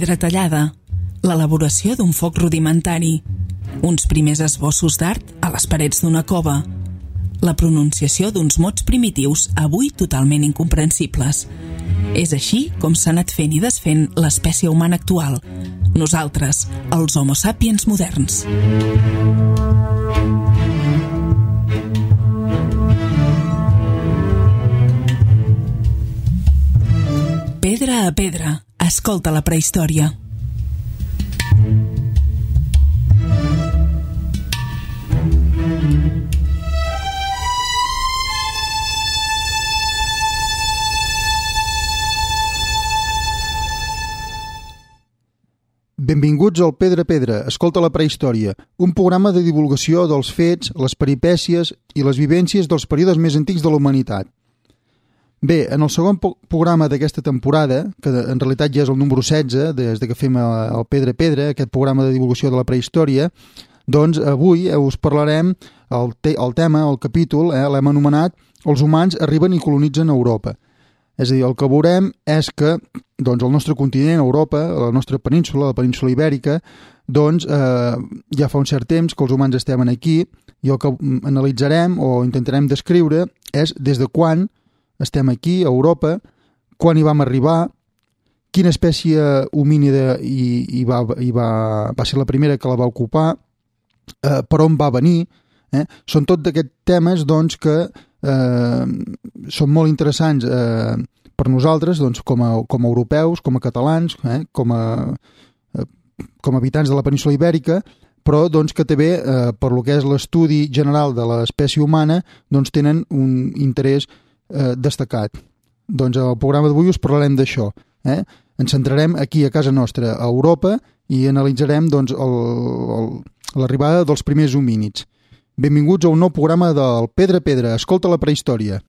pedra tallada, l'elaboració d'un foc rudimentari, uns primers esbossos d'art a les parets d'una cova, la pronunciació d'uns mots primitius avui totalment incomprensibles. És així com s'ha anat fent i desfent l'espècie humana actual, nosaltres, els Homo sapiens moderns. Pedra a pedra, escolta la prehistòria. Benvinguts al Pedra a Pedra, escolta la prehistòria, un programa de divulgació dels fets, les peripècies i les vivències dels períodes més antics de la humanitat. Bé, en el segon programa d'aquesta temporada, que en realitat ja és el número 16, des que fem el Pedra a Pedra, aquest programa de divulgació de la prehistòria, doncs avui us parlarem el tema, el capítol, l'hem anomenat Els humans arriben i colonitzen Europa. És a dir, el que veurem és que doncs, el nostre continent, Europa, la nostra península, la península ibèrica, doncs ja fa un cert temps que els humans estem aquí i el que analitzarem o intentarem descriure és des de quan estem aquí, a Europa, quan hi vam arribar, quina espècie homínida va ser la primera que la va ocupar, per on va venir. Són tot d'aquests temes doncs, que són molt interessants per nosaltres doncs, com a europeus, com a catalans, com a habitants de la península ibèrica, però doncs, que també per lo que és l'estudi general de l'espècie humana doncs, tenen un interès destacat. Doncs al programa d'avui us parlarem d'això. Ens centrarem aquí a casa nostra, a Europa, i analitzarem doncs, l'arribada dels primers homínids. Benvinguts a un nou programa del Pedra a Pedra, escolta la prehistòria.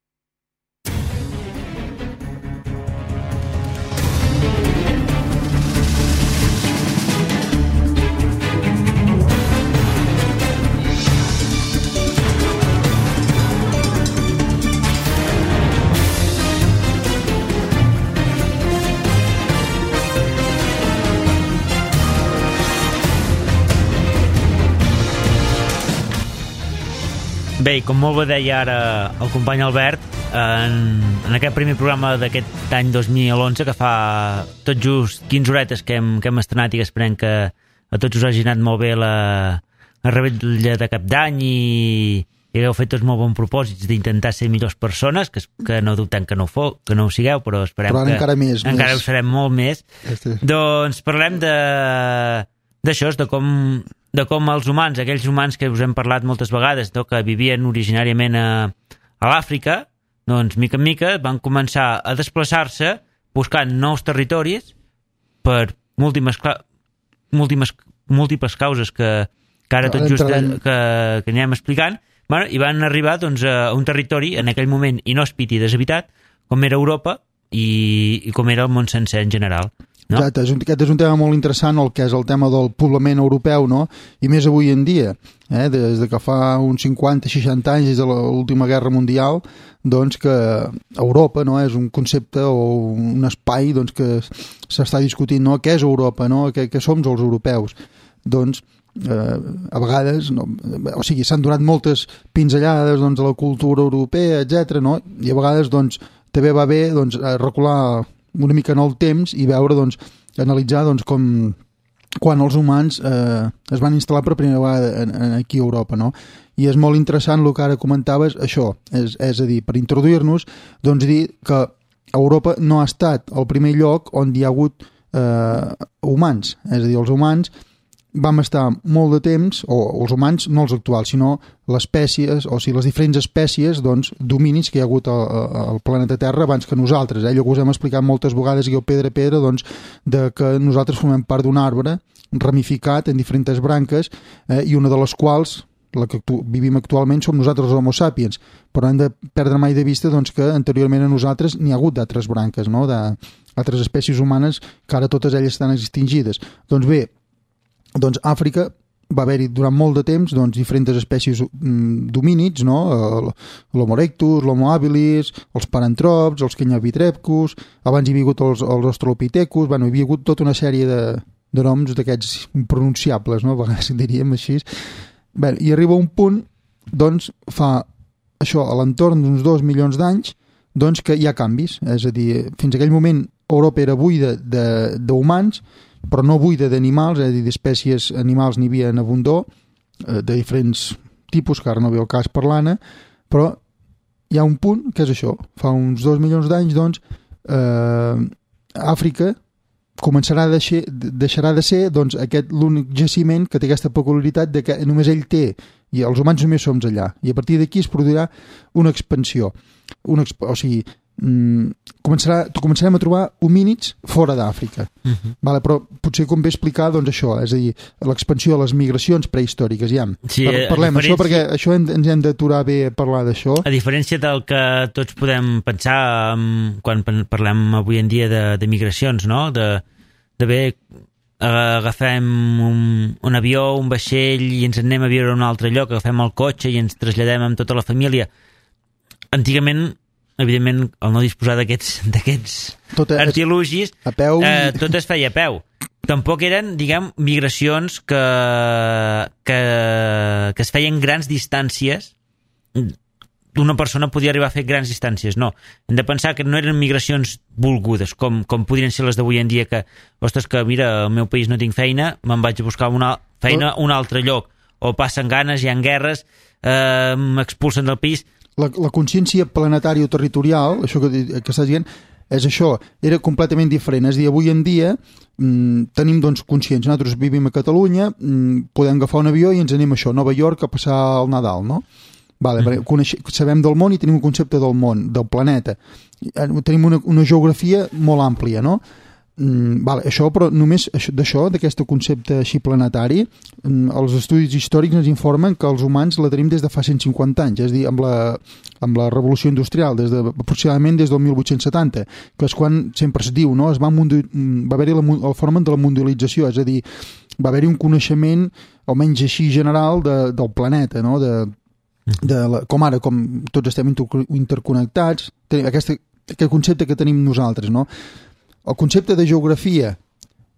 Bé, com molt bé deia ara el company Albert, en aquest primer programa d'aquest any 2011, que fa tot just 15 horetes que hem estrenat i que esperem que a tots us hagi anat molt bé la rebella de cap d'any i hagueu fet tots molt bons propòsits d'intentar ser millors persones, que no dubtem que no ho sigueu, però esperem que encara ho serem molt més. Doncs parlem d'això, de com els humans, aquells humans que us hem parlat moltes vegades, que vivien originàriament a l'Àfrica, doncs mica en mica van començar a desplaçar-se buscant nous territoris per múltiples causes que ara tot just que anirem explicant, i van arribar doncs, a un territori en aquell moment inhòspit i deshabitat, com era Europa i com era el món sencer en general. No? Exacte, aquest és un tema molt interessant, el que és el tema del poblament europeu, no? I més avui en dia, des de que fa uns 50-60 anys, des de l'última guerra mundial, doncs que Europa no? És un concepte o un espai doncs, que s'està discutint, no? Què és Europa, no? Què som els europeus? Doncs a vegades, no? O sigui, s'han donat moltes pinzellades doncs, a la cultura europea, etc. No? I a vegades doncs, també va bé doncs, recular una mica en el temps i veure, doncs, analitzar doncs, com quan els humans es van instal·lar per primera vegada aquí a Europa, no? I és molt interessant el que ara comentaves, això, és a dir, per introduir-nos, doncs dir que Europa no ha estat el primer lloc on hi ha hagut humans, és a dir, els humans vam estar molt de temps, o els humans, no els actuals, sinó les espècies, o sigui, les diferents espècies, doncs, dominis que hi ha hagut al planeta Terra abans que nosaltres. Allò que us hem explicat moltes vegades aquí al Pedra a Pedra, doncs, de que nosaltres formem part d'un arbre ramificat en diferents branques, i una de les quals, la que vivim actualment, som nosaltres els Homo sapiens, però hem de perdre mai de vista doncs, que anteriorment a nosaltres n'hi ha hagut d'altres branques, no? D'altres espècies humanes que ara totes elles estan extingides. Doncs bé, doncs Àfrica va haver-hi durant molt de temps diferents espècies d'homínids, no? L'Homo erectus, l'Homo habilis, els parantrops, els kenyavitrepcus, abans hi havia hagut els australopithecus, hi havia hagut tota una sèrie de noms d'aquests impronunciables, no? A vegades diríem així. Bé, i arriba un punt, fa això a l'entorn d'uns 2 milions d'anys, que hi ha canvis. És a dir, fins a aquell moment Europa era buida d'humans, però no buida d'animals, és a dir, d'espècies animals n'hi havia en abundor, de diferents tipus, que ara no ve el cas parlant, però hi ha un punt que és això. Fa uns 2 milions d'anys, Àfrica deixarà de ser aquest l'únic jaciment que té aquesta peculiaritat de que només ell té i els humans només som allà, i a partir d'aquí es produirà una expansió, o sigui, començarem a trobar homínids fora d'Àfrica. Vale, però potser convé explicar això, és a dir, l'expansió de les migracions prehistòriques. Sí, parlem això, perquè això ens hem d'aturar bé a parlar d'això. A diferència del que tots podem pensar quan parlem avui en dia de migracions, no? De bé agafem un avió, un vaixell i ens anem a viure a un altre lloc, agafem el cotxe i ens traslladem amb tota la família. Antigament, evidentment, al no disposar d'aquests artilugis, tot es feia a peu. Tampoc eren, diguem, migracions que es feien grans distàncies. Una persona podia arribar a fer grans distàncies, no. Hem de pensar que no eren migracions volgudes, com podrien ser les d'avui en dia, que, ostres, que mira, al meu país no tinc feina, me'n vaig a buscar una feina a un altre lloc, o passen ganes, hi ha guerres, m'expulsen del país. La consciència planetària o territorial, això que estàs dient, és això, era completament diferent. És a dir, avui en dia tenim consciència, nosaltres vivim a Catalunya, podem agafar un avió i ens anem a Nova York a passar el Nadal, no? Vale, sabem del món i tenim un concepte del món, del planeta. Tenim una geografia molt àmplia, no? Vale, això, però només d'aquest concepte així planetari, els estudis històrics ens informen que els humans la tenim des de fa 150 anys, és a dir, amb la revolució industrial, aproximadament des del 1870, que és quan sempre es diu, no? Va haver-hi el fenomen de la mundialització, és a dir, va haver-hi un coneixement, almenys així general, del planeta, no? Com ara, com tots estem interconnectats, aquest concepte que tenim nosaltres, no? El concepte de geografia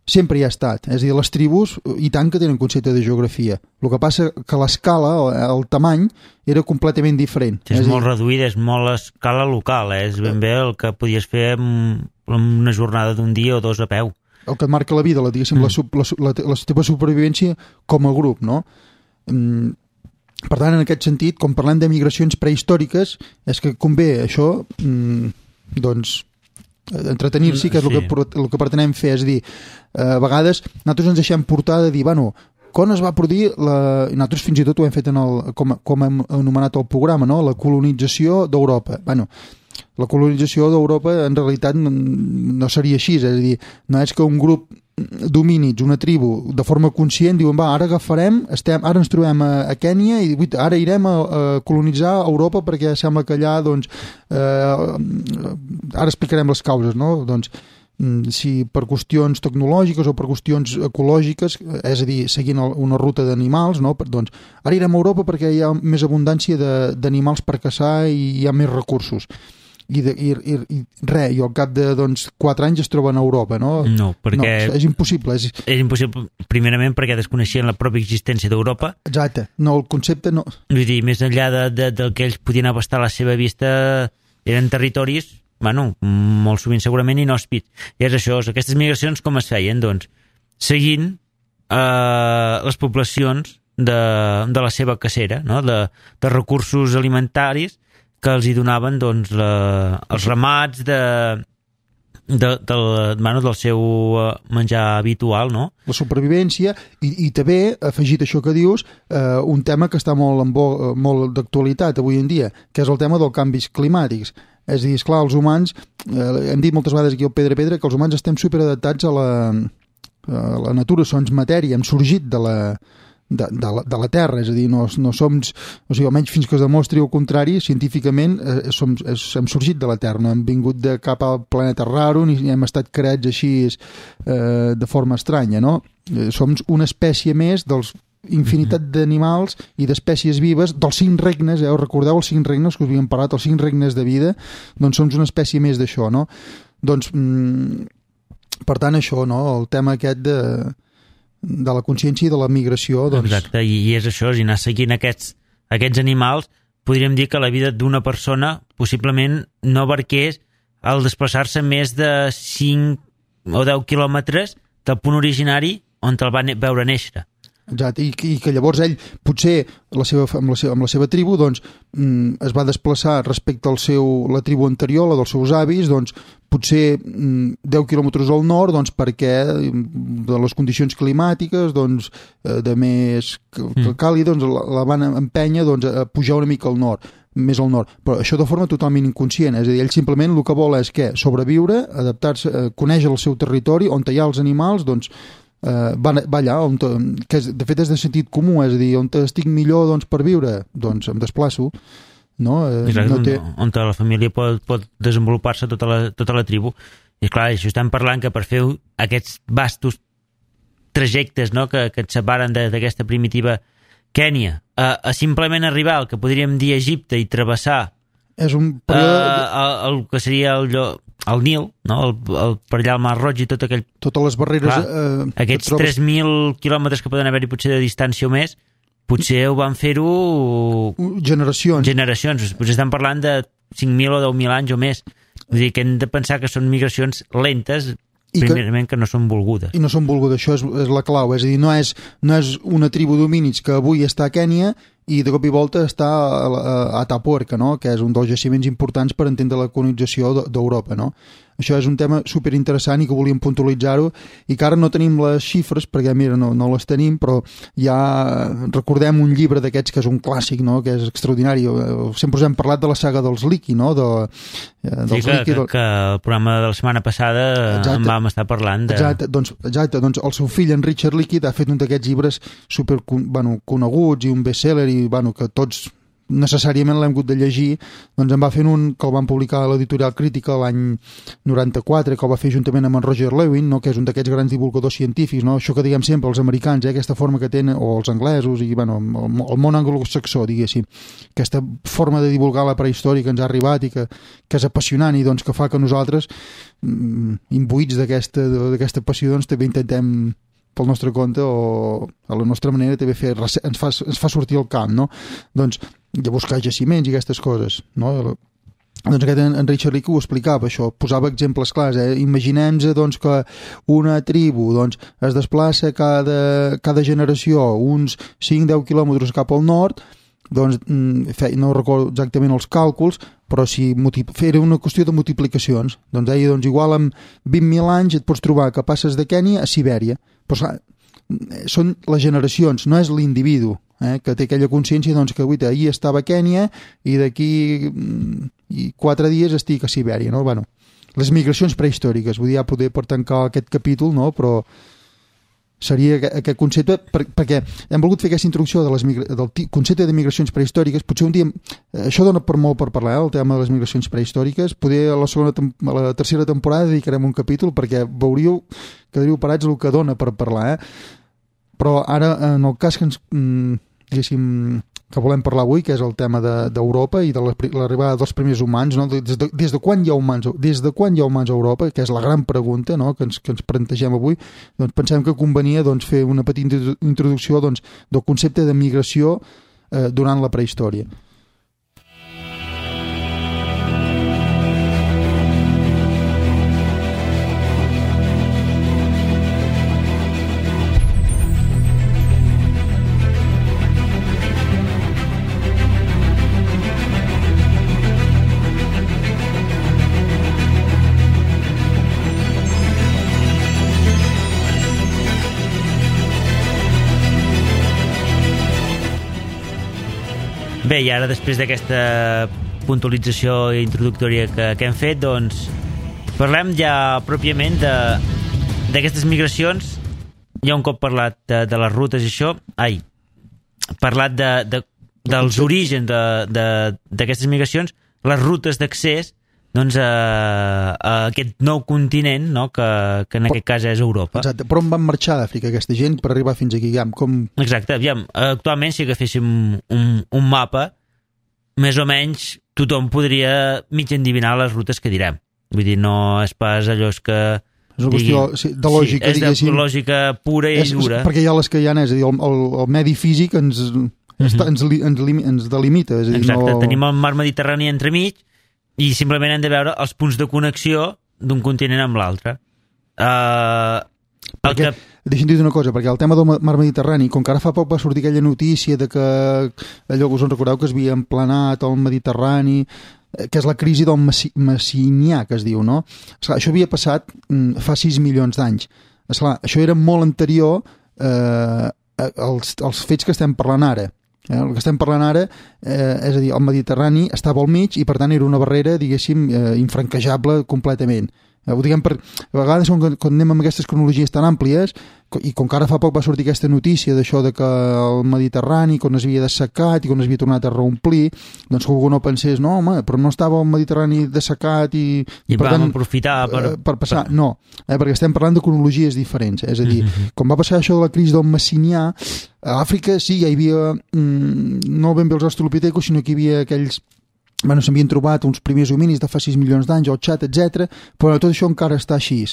sempre hi ha estat, és a dir, les tribus i tant que tenen concepte de geografia. El que passa que l'escala, el tamany, era completament diferent. És molt reduïda, és molt a escala local, és ben bé el que podies fer en una jornada d'un dia o dos a peu. El que et marca la vida, diguéssim, la teva supervivència com a grup, no? Per tant, en aquest sentit, quan parlem de migracions prehistòriques, és que convé això, entretenir-s'hi, que és el que pretenem fer, és a dir, a vegades nosaltres ens deixem portar de dir, bueno, quan es va produir, nosaltres fins i tot ho hem fet com hem anomenat el programa, no? La colonització d'Europa. Bueno, la colonització d'Europa en realitat no seria així, és a dir, no és que un grup d'homínids, una tribu, de forma conscient, diuen, va, ara agafarem, ara ens trobem a Kènia i ara irem a colonitzar Europa perquè sembla que allà, ara explicarem les causes, no? Si per qüestions tecnològiques o per qüestions ecològiques, és a dir, seguint una ruta d'animals, no? Ara irem a Europa perquè hi ha més abundància d'animals per caçar i hi ha més recursos. I al cap de 4 anys es troben a Europa, no? No, perquè... No, és impossible. És impossible, primerament, perquè desconeixien la pròpia existència d'Europa. Exacte. No, el concepte no... Vull dir, més enllà del que ells podien abastar a la seva vista, eren territoris, bueno, molt sovint segurament inhòspits. I és això, aquestes migracions com es feien? Seguint les poblacions de la seva cacera, no? De recursos alimentaris que els hi donaven els ramats del seu menjar habitual, no? La supervivència i també, afegit això que dius, un tema que està molt d'actualitat avui en dia, que és el tema dels canvis climàtics. És a dir, esclar, els humans, hem dit moltes vegades aquí al Pedra Pedra, que els humans estem superadaptats a la natura, som matèria, hem sorgit de la Terra, és a dir, no som, o sigui, almenys fins que es demostri el contrari, científicament hem sorgit de la Terra, no hem vingut de cap al planeta raro ni hem estat creats així de forma estranya, no? Som una espècie més dels infinitat d'animals i d'espècies vives, dels 5 regnes, us recordeu els 5 regnes que us havíem parlat, els 5 regnes de vida, doncs som una espècie més d'això, no? Doncs, per tant, això, no? El tema aquest de la consciència i de la migració, doncs... Exacte, i és això, si anar seguint aquests animals, podríem dir que la vida d'una persona possiblement no abarqués el desplaçar-se més de 5 o 10 quilòmetres del punt originari on te'l va veure néixer. Exacte, i que llavors ell potser amb la seva tribu doncs, es va desplaçar respecte a la tribu anterior, la dels seus avis, doncs, potser 10 quilòmetres al nord doncs, perquè de les condicions climàtiques doncs, de més càlid doncs, la van empènyer doncs, a pujar una mica al nord, més al nord, però això de forma totalment inconscient, és a dir, ell simplement el que vol és que sobreviure, adaptar-se, conèixer el seu territori, on hi ha els animals, doncs va allà, que de fet és de sentit comú, és a dir, on estic millor doncs, per viure, doncs em desplaço, no? Exacte, on la família pot desenvolupar-se tota la tribu. I clar, això estem parlant que per fer aquests vastos trajectes, no? que et separen d'aquesta primitiva Kènia, a simplement arribar al que podríem dir Egipte i travessar és un període... el que seria el Nil, no? Per allà al Mar Roig i tot aquell... Totes les barreres... Aquests 3.000 quilòmetres que poden haver-hi potser de distància o més, potser ho van fer-ho... Generacions. Potser estan parlant de 5.000 o 10.000 anys o més. Vull dir que hem de pensar que són migracions lentes, primerament que no són volgudes. I no són volgudes, això és la clau. És a dir, no és una tribu d'homínids que avui està a Kènia i de cop i volta està a Atapuerca, no? Que és un dels jaciments importants per entendre la colonització d'Europa, no? Això és un tema superinteressant i que volíem puntualitzar-ho i que ara no tenim les xifres perquè, mira, no les tenim, però ja recordem un llibre d'aquests que és un clàssic, no? Que és extraordinari. Sempre us hem parlat de la saga dels Leakey, no? Sí, que el programa de la setmana passada en vam estar parlant de... Exacte, doncs el seu fill, en Richard Leakey, ha fet un d'aquests llibres super coneguts i un bestseller i que tots necessàriament l'hem hagut de llegir, doncs en va fer un que el van publicar a l'editorial Crítica l'any 94, que el va fer juntament amb en Roger Lewin, no? Que és un d'aquests grans divulgadors científics, no? Això que diguem sempre els americans, aquesta forma que tenen, o els anglesos i el món anglosaxó, diguéssim, aquesta forma de divulgar la prehistòria que ens ha arribat i que és apassionant i doncs que fa que nosaltres imbuïts d'aquesta passió doncs també intentem pel nostre compte o a la nostra manera també ens fa sortir al camp, no? Doncs de buscar jaciments i aquestes coses, no? Doncs aquest en Richard Leakey ho explicava, això, posava exemples clars, Imaginem-nos doncs, que una tribu doncs, es desplaça cada generació uns 5-10 quilòmetres cap al nord, doncs no recordo exactament els càlculs, però si era una qüestió de multiplicacions, doncs deia, doncs igual amb 20.000 anys et pots trobar que passes de Kènia a Sibèria, però clar, són les generacions, no és l'individu que té aquella consciència doncs, que ahir estava a Kènia i d'aquí 4 dies estic a Sibèria, no? Bueno, les migracions prehistòriques, vull dir, ja poder per tancar aquest capítol, no? Però seria aquest concepte, perquè hem volgut fer aquesta introducció del concepte de migracions prehistòriques. Potser un dia, això dona per molt per parlar, el tema de les migracions prehistòriques. Poder a la tercera temporada dedicarem un capítol perquè veuríeu, quedaríeu parats el que dona per parlar, Però ara, en el cas que que volem parlar avui, que és el tema d'Europa i de l'arribada dels primers humans, no? Des de quan hi ha humans a Europa, que és la gran pregunta, no? que ens plantegem avui, doncs pensem que convenia fer una petita introducció del concepte de migració durant la prehistòria. Bé, i ara després d'aquesta puntualització introductòria que hem fet, doncs parlem ja pròpiament d'aquestes migracions. Ja un cop parlat de les rutes i això, parlat dels orígens d'aquestes migracions, les rutes d'accés doncs, a aquest nou continent, no? que en aquest cas és Europa. Exacte, però on van marxar d'Àfrica aquesta gent per arribar fins aquí? Exacte, aviam, actualment si agaféssim un mapa, més o menys tothom podria mig endivinar les rutes que direm. Vull dir, no és pas allò que... És una qüestió de lògica, és de lògica pura i dura. Perquè hi ha les que hi ha, és a dir, el medi físic ens delimita. És a dir, exacte, tenim el mar Mediterrani entremig i simplement hem de veure els punts de connexió d'un continent amb l'altre. Deixa'm dir una cosa, perquè el tema del mar Mediterrani, com que ara fa poc va sortir aquella notícia de que allò que us en recordeu que es havia emplenat el Mediterrani, que és la crisi del Messinià, que es diu, no? Esclar, això havia passat fa 6 milions d'anys. Esclar, això era molt anterior als fets que estem parlant ara. El que estem parlant ara, és a dir, el Mediterrani estava al mig i per tant era una barrera, diguéssim, infranquejable completament. Ho diguem a vegades quan anem amb aquestes cronologies tan àmplies i com que ara fa poc va sortir aquesta notícia d'això de que el Mediterrani quan es havia dessecat i quan es havia tornat a reomplir, doncs que algú no pensés no, home, però no estava el Mediterrani dessecat i per vam tant, aprofitar per passar, no, perquè estem parlant de cronologies diferents, és a dir, quan va passar això de la crisi del Messinià, a Àfrica sí, ja hi havia no ben bé els australopitecos, sinó que hi havia aquells s'havien trobat uns primers hominis de fa 6 milions d'anys, el xat, etc. Però tot això encara està així.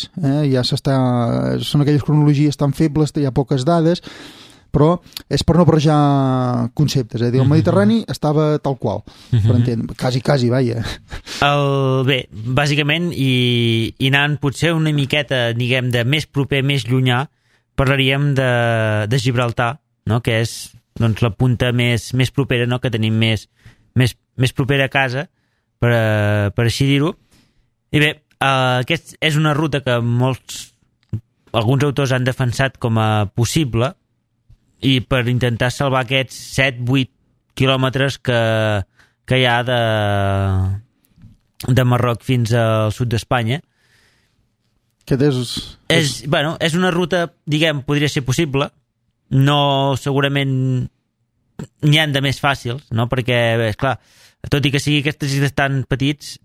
Ja són aquelles cronologies tan febles, hi ha poques dades, però és per no barrejar conceptes. El Mediterrani estava tal qual, per entendre. Quasi, vaja. Bé, bàsicament, i anant potser una miqueta, diguem, de més proper, més llunyà, parlaríem de Gibraltar, no? Que és doncs, la punta més propera, no? Que tenim més propera a casa, per així dir-ho. I bé, aquest és una ruta que alguns autors han defensat com a possible i per intentar salvar aquests 7-8 quilòmetres que hi ha de Marroc fins al sud d'Espanya. És una ruta, diguem, podria ser possible, no segurament n'hi ha de més fàcils, no? Perquè, esclar, tot i que sigui aquestes illes tan petits,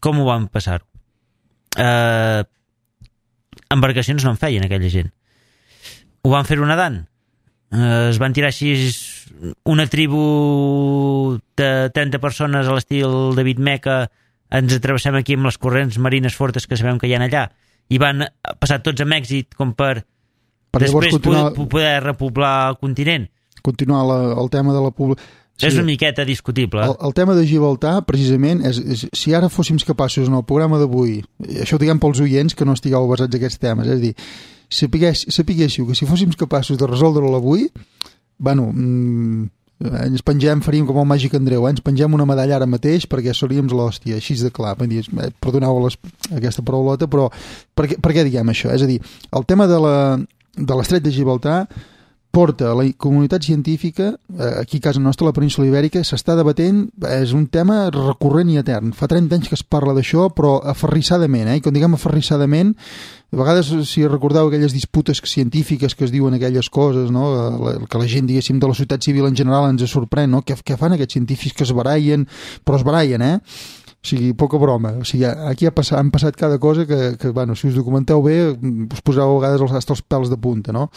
com ho van passar-ho? Embarcacions no en feien aquella gent. Ho van fer-ho nedant. Es van tirar així una tribu de 30 persones a l'estil David Meca, ens atravessem aquí amb les corrents marines fortes que sabem que hi ha allà, i van passar tots amb èxit com per després poder repoblar el continent. Continuar el tema de la població. Sí, és una miqueta discutible. El tema de Gibraltar, precisament, si ara fóssim capaços en el programa d'avui, això ho diguem pels oients que no estigueu basats en aquests temes, és a dir, sapiguéssiu que si fóssim capaços de resoldre-ho avui, ens faríem com el Màgic Andreu, ens pengem una medalla ara mateix perquè seríem l'hòstia, així de clar. Perdoneu aquesta paraulota, però per què diguem això? És a dir, el tema de l'estret de Gibraltar porta a la comunitat científica, aquí a casa nostra, a la península Ibèrica, s'està debatent, és un tema recurrent i etern. Fa 30 anys que es parla d'això, però aferrissadament, i quan diguem aferrissadament, a vegades, si recordeu aquelles disputes científiques que es diuen aquelles coses, no? Que la gent, diguéssim, de la societat civil en general ens sorprèn, no? Què fan aquests científics que es barallen, però es barallen, O sigui, poca broma. O sigui, aquí han passat cada cosa que si us documenteu bé, us poseu a vegades els pèls de punta, no?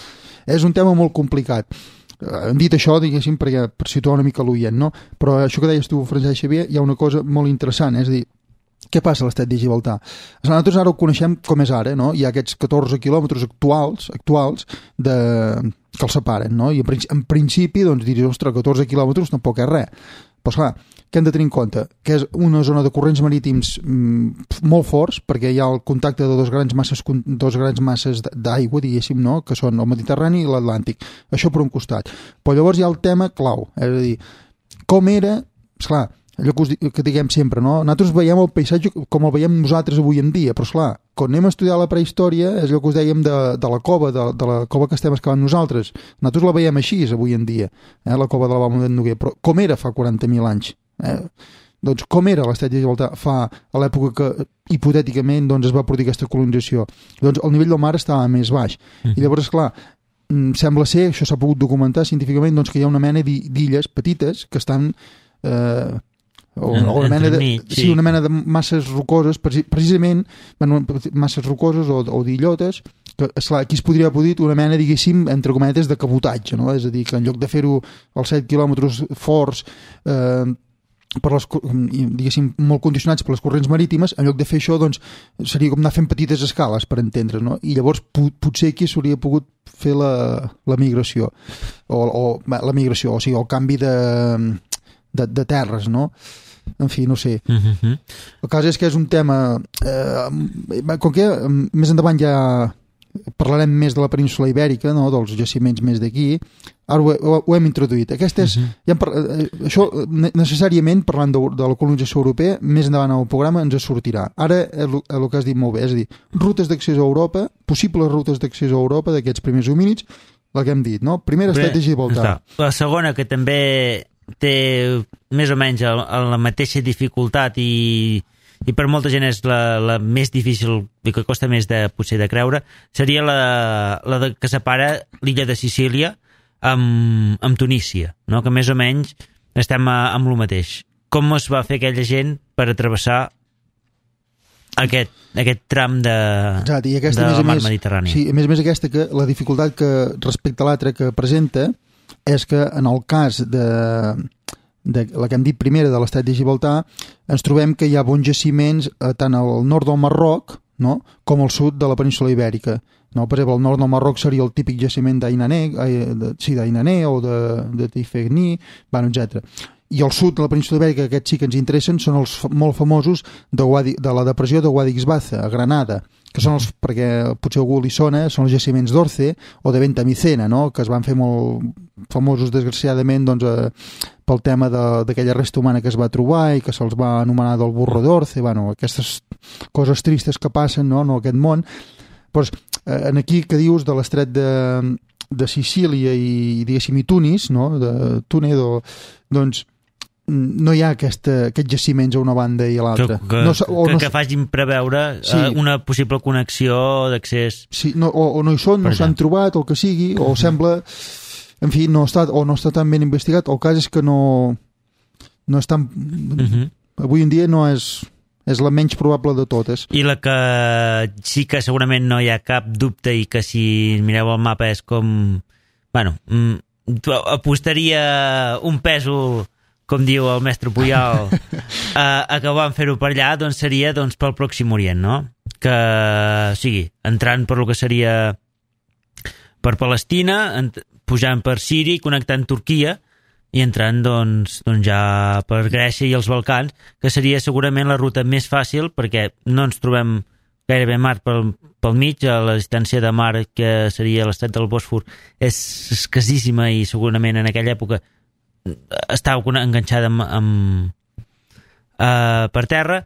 És un tema molt complicat. Hem dit això, diguéssim, per situar una mica l'oient, no? Però això que deies tu, Francesc Xavier, hi ha una cosa molt interessant, és a dir, què passa a l'estret de Gibraltar? Nosaltres ara ho coneixem com és ara, no? Hi ha aquests 14 quilòmetres actuals que els separen, no? I en principi, doncs, diries, ostres, 14 quilòmetres tampoc és res. Però, esclar, què hem de tenir en compte? Que és una zona de corrents marítims molt forts, perquè hi ha el contacte de dos grans masses d'aigua, diguéssim, no? Que són el Mediterrani i l'Atlàntic. Això per un costat. Però llavors hi ha el tema clau, és a dir, com era, esclar, allò que diguem sempre, no? Nosaltres veiem el paisatge com el veiem nosaltres avui en dia, però esclar, quan anem a estudiar la prehistòria és allò que us dèiem de la cova, de la cova que estem excavant nosaltres. Nosaltres la veiem així avui en dia, la cova de la Balma d'en Noguer, però com era fa 40.000 anys? Doncs com era l'estret de Gibraltar a l'època que hipotèticament es va produir aquesta colonització? Doncs el nivell del mar estava més baix. I llavors, esclar, sembla ser, això s'ha pogut documentar científicament, doncs que hi ha una mena d'illes petites que estan una mena una mena de masses rocoses, precisament masses rocoses o d'illotes, que esclar, aquí es podria haver dit una mena, diguéssim, entre cometes, de cabotatge, no? És a dir, que en lloc de fer-ho als 7 quilòmetres forts, per les, diguéssim, molt condicionats per les corrents marítimes, en lloc de fer això, doncs, seria com anar fent petites escales, per entendre's, no? I llavors potser aquí s'hauria pogut fer la migració, o sigui, el canvi de terres, no? En fi, no sé. El cas és que és un tema... com que més endavant ja parlarem més de la península Ibèrica, no? Dels jaciments més d'aquí, ara ho hem introduït. Això necessàriament, parlant de la colonització europea, més endavant al programa ens sortirà. Ara el que has dit molt bé, és a dir, rutes d'accés a Europa, possibles rutes d'accés a Europa d'aquests primers homínids, la que hem dit, no? Primera, Estret de Gibraltar. La segona, que també té més o menys la mateixa dificultat i per molta gent és la més difícil i que costa més potser de creure, seria la que separa l'illa de Sicília amb Tunísia, no? Que més o menys estem amb el mateix. Com es va fer aquella gent per travessar aquest tram de la mar Mediterrània? Sí, a més aquesta, que la dificultat que respecte a l'altra que presenta és que en el cas de la que hem dit primera, de l'Estret de Gibraltar, ens trobem que hi ha bons jaciments tant al nord del Marroc, no?, com al sud de la península Ibèrica. No? Per exemple, al nord del Marroc seria el típic jaciment d'Ainané o de Tifegni, etc. I al sud de la península Ibèrica, aquests sí que ens interessen, són els molt famosos de la depressió de Wadi Xbaza, a Granada, que són els, perquè potser algú li sona, són els jaciments d'Orce o de Ventamicena, no? Que es van fer molt famosos, desgraciadament, doncs, pel tema d'aquella resta humana que es va trobar i que se'ls va anomenar del burro d'Orce, aquestes coses tristes que passen, no, en aquest món. Doncs, aquí que dius de l'estret de Sicília i, diguéssim, i Tunis, no? De Túnez, doncs no hi ha aquests jaciments a una banda i a l'altra. Que facin preveure una possible connexió d'accés. Sí, o no hi són, no s'han trobat, o el que sigui, o sembla... En fi, no està tan ben investigat. El cas és que no és tan... Avui en dia no és la menys probable de totes. I la que sí que segurament no hi ha cap dubte i que si mireu el mapa és com... apostaria un pèsol, com diu el mestre Puyol, a que van fer-ho per allà, doncs seria pel Pròxim Orient, no? Que, o sigui, entrant per lo que seria per Palestina, pujant per Síria i connectant Turquia i entrant doncs ja per Grècia i els Balcans, que seria segurament la ruta més fàcil perquè no ens trobem gairebé mar pel mig, a la distància de mar que seria l'estret del Bòsfor és escassíssima i segurament en aquella època estava enganxada per terra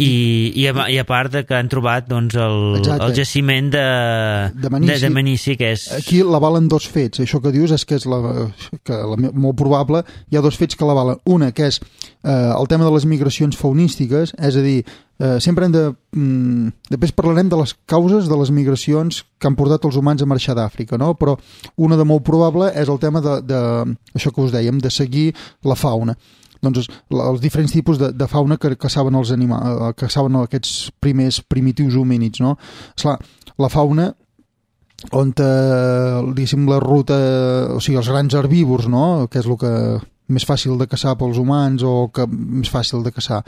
i a part que han trobat doncs, el jaciment de Manici, que és... Aquí l'avalen dos fets. Això que dius és que és molt probable. Hi ha dos fets que l'avalen. Una, que és el tema de les migracions faunístiques, és a dir, sempre hem de... Després parlarem de les causes de les migracions que han portat els humans a marxar d'Àfrica, no? Però una de molt probable és el tema de això que us dèiem, de seguir la fauna. Doncs els diferents tipus de fauna que caçaven els animals, que caçaven aquests primers primitius homínids, no? Esclar, la fauna on, diguéssim, la ruta, o sigui, els grans herbívors, no? Que és el que més fàcil de caçar pels humans o que més fàcil de caçar.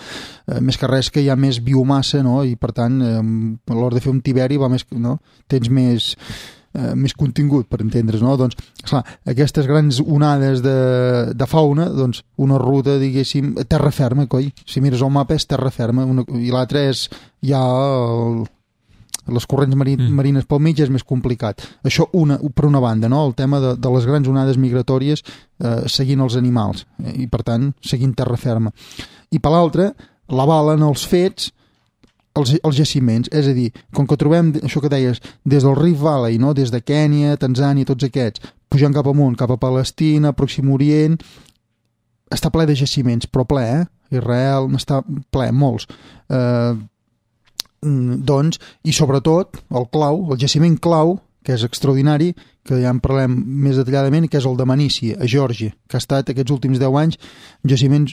Més que res que hi ha més biomassa, no? I per tant, a l'hora de fer un tiberi va més, no? Tens més contingut, per entendre's, no? Doncs, esclar, aquestes grans onades de fauna, doncs, una ruta, diguéssim, terra ferma, coi. Si mires el mapa és terra ferma, i l'altra és ja les corrents marines pel mig és més complicat. Això per una banda, no? El tema de les grans onades migratòries seguint els animals, i per tant, seguint terra ferma. I per l'altra, l'avalen els fets els jaciments, és a dir, com que trobem això que deies, des del Rift Valley, no? Des de Kènia, Tanzània, tots aquests, pujant cap amunt, cap a Palestina, Pròxim Orient, està ple de jaciments, però ple, Israel n'està ple, molts. Doncs, i sobretot, el jaciment clau, que és extraordinari, que ja en parlem més detalladament, que és el de Manici, a Geòrgia, que ha estat aquests últims 10 anys un jaciment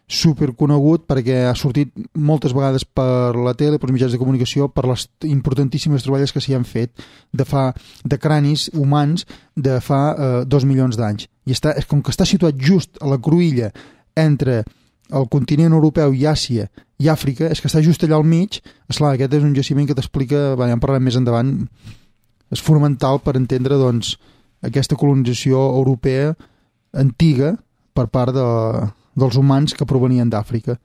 superconegut perquè ha sortit moltes vegades per la tele, per mitjans de comunicació, per les importantíssimes troballes que s'hi han fet de cranis humans de fa 2 milions d'anys. I com que està situat just a la cruïlla entre el continent europeu i Àsia i Àfrica, és que està just allà al mig. Esclar, aquest és un jaciment que t'explica, ja en parlem més endavant, és fonamental per entendre doncs, aquesta colonització europea antiga per part dels humans que provenien d'Àfrica.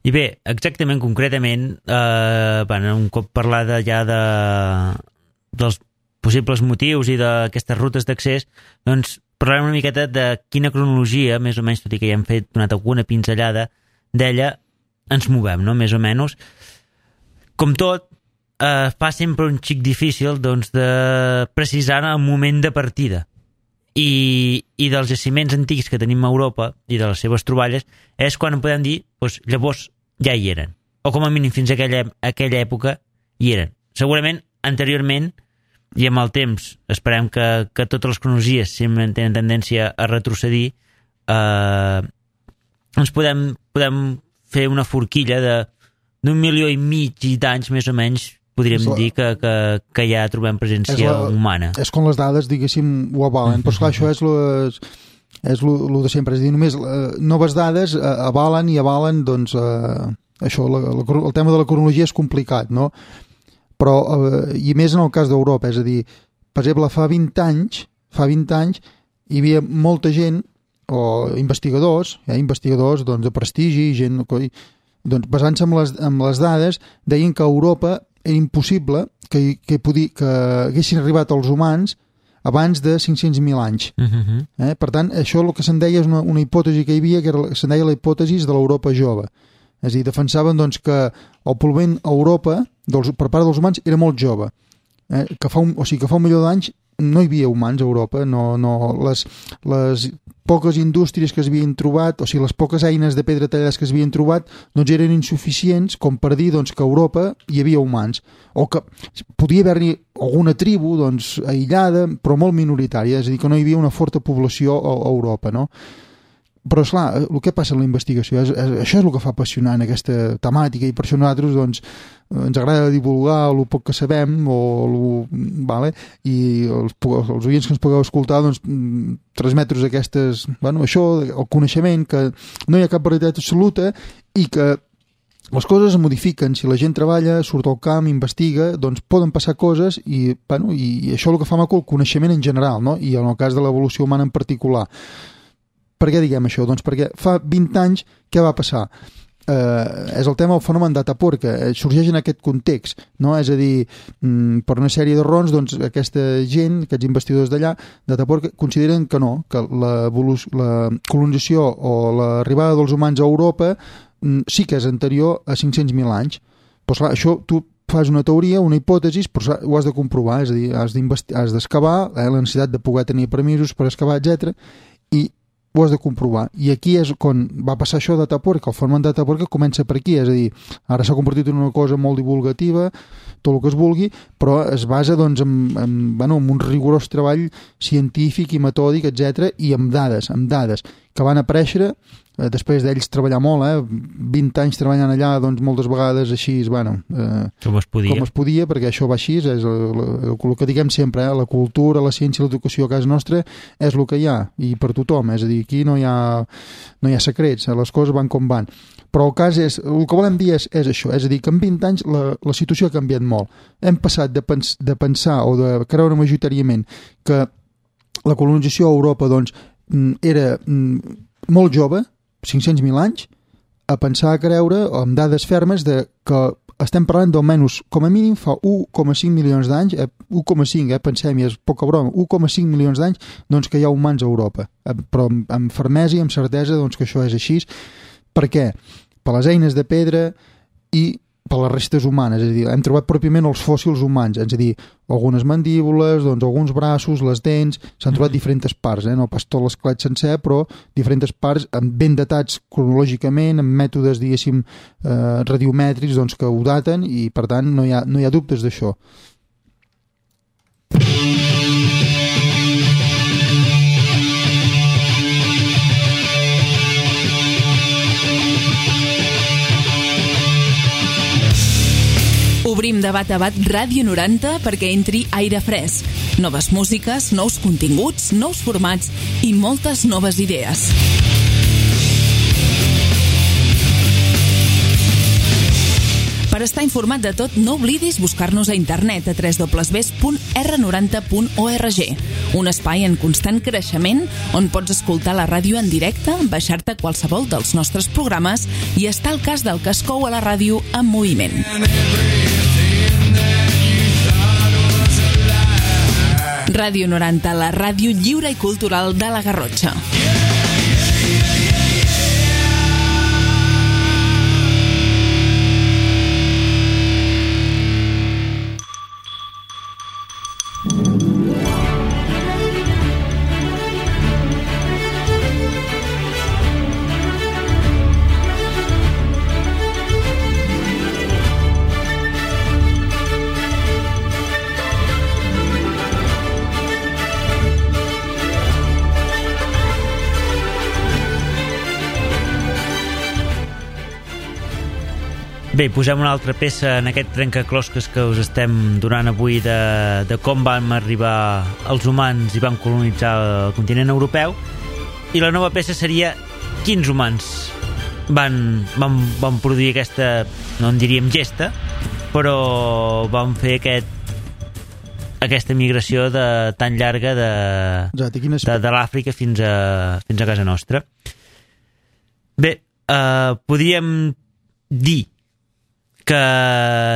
I bé, exactament, concretament, un cop parlada ja dels possibles motius i d'aquestes rutes d'accés, doncs parlarem una miqueta de quina cronologia, més o menys, tot i que ja hem donat alguna pinzellada d'ella, ens movem, no?, més o menys. Com tot, fa sempre un xic difícil doncs, de precisar el moment de partida. I dels jaciments antics que tenim a Europa i de les seves troballes és quan podem dir, doncs, llavors ja hi eren, o com a mínim fins a aquella època hi eren. Segurament anteriorment i amb el temps esperem que totes les cronologies sempre tenen tendència a retrocedir, ens podem fer una forquilla d'1,5 milió d'anys més o menys. Podríem dir que ja trobem presència humana. És com les dades, diguéssim, ho avalen. Però esclar, això és lo de sempre. És a dir, només noves dades avalen doncs, això, el tema de la cronologia és complicat, no? Però, i més en el cas d'Europa, és a dir, per exemple, fa 20 anys hi havia molta gent, o investigadors doncs, de prestigi, gent doncs, basant-se en les dades, deien que a Europa era impossible que haguessin arribat els humans abans de 500.000 anys. Per tant, això el que se'n deia és una hipòtesi que hi havia, que se'n deia la hipòtesi de l'Europa jove. És a dir, defensaven doncs, que el pol·luent a Europa, per part dels humans, era molt jove. Que fa 1 milió d'anys no hi havia humans a Europa, les poques indústries que es havien trobat, o sigui, les poques eines de pedra tallades que es havien trobat, doncs eren insuficients com per dir doncs, que a Europa hi havia humans, o que podia haver-hi alguna tribu doncs, aïllada, però molt minoritària, és a dir, que no hi havia una forta població a Europa, no? Però, esclar, el que passa en la investigació, això és el que fa apassionant aquesta temàtica, i per això nosaltres doncs, ens agrada divulgar el poc que sabem, i els oients que ens pugueu escoltar doncs, transmetre aquestes, això, el coneixement, que no hi ha cap veritat absoluta i que les coses es modifiquen. Si la gent treballa, surt al camp, investiga, doncs poden passar coses i això és el que fa maco el coneixement en general, no? I en el cas de l'evolució humana en particular. Per què diguem això? Doncs perquè fa 20 anys què va passar? És el tema del fenomen d'Atapuerca, sorgeix en aquest context, no? És a dir, per una sèrie de raons, doncs, aquesta gent, aquests investigadors d'allà d'Atapuerca, consideren que no, que la colonització o l'arribada dels humans a Europa sí que és anterior a 500.000 anys. Però clar, això tu fas una teoria, una hipòtesi, però ho has de comprovar, és a dir, has d'excavar, la necessitat de poder tenir permisos per excavar, etc. I ho has de comprovar. I aquí és quan va passar això d'Atapuerca. El fenomen d'Atapuerca comença per aquí, és a dir, ara s'ha convertit en una cosa molt divulgativa, tot el que es vulgui, però es basa doncs, en un rigorós treball científic i metòdic, etc., i amb dades que van aparèixer després d'ells treballar molt, 20 anys treballant allà, doncs moltes vegades així, com es podia, perquè això va així, és el que diguem sempre, la cultura, la ciència i l'educació a casa nostra és el que hi ha, i per tothom, és a dir, aquí no hi ha secrets, les coses van com van. Però el cas és, el que volem dir és això, és a dir, que en 20 anys la situació ha canviat molt. Hem passat de pensar o de creure majoritàriament que la colonització a Europa doncs, era molt jove, 500.000 anys, a pensar, a creure, amb dades fermes, que estem parlant d'almenys, com a mínim, fa 1,5 milions d'anys, 1,5, pensem, i és poca broma, 1,5 milions d'anys doncs, que hi ha humans a Europa. Però amb fermesa i amb certesa doncs, que això és així. Per què? Per les eines de pedra i per les restes humanes, és a dir, hem trobat pròpiament els fòssils humans, és a dir, algunes mandíbules, doncs, alguns braços, les dents, s'han trobat diferents parts, no pas tot l'esquelet sencer, però diferents parts ben datats cronològicament, amb mètodes, diguéssim, radiomètrics, doncs, que ho daten i, per tant, no hi ha dubtes d'això. Obrim de bat a bat Ràdio 90 perquè entri aire fresc, noves músiques, nous continguts, nous formats i moltes noves idees. Per estar informat de tot, no oblidis buscar-nos a internet a www.r90.org, un espai en constant creixement on pots escoltar la ràdio en directe, baixar-te qualsevol dels nostres programes i estar al cas del que es cou a la ràdio en moviment. Ràdio 90, la ràdio lliure i cultural de la Garrotxa. Bé, posem una altra peça en aquest trencaclosques que us estem donant avui de com vam arribar els humans i van colonitzar el continent europeu, i la nova peça seria quins humans van produir aquesta, no en diríem gesta, però van fer aquesta migració tan llarga de l'Àfrica fins a casa nostra. Bé, podríem dir que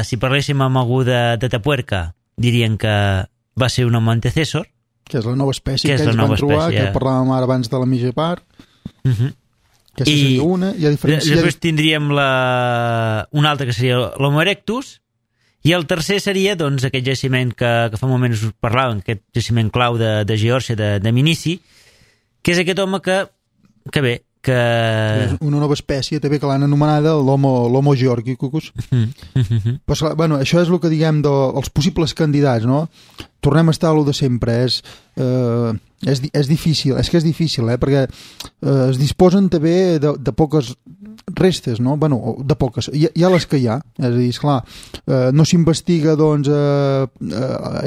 si parléssim amb algú de Tapuerca dirien que va ser un home antecessor, que és la nova espècie que ells van trobar, que parlàvem ara abans de la mitja part. Aquesta seria una. Després tindríem una altra que seria l'Homo erectus, i el tercer seria doncs, aquest jaciment que fa un moment us parlàvem, aquest jaciment clau de Geòrgia, de Minici, que és aquest home que bé, que és una nova espècie també que l'han anomenada l'Homo georgicus. Però, bueno, això és el que diguem dels possibles candidats, no? Tornem a estar a lo de sempre. És difícil, és difícil, perquè es disposen també de poques restes, no? Bueno, de poques. Hi ha les que hi ha. És a dir, esclar, no s'investiga doncs,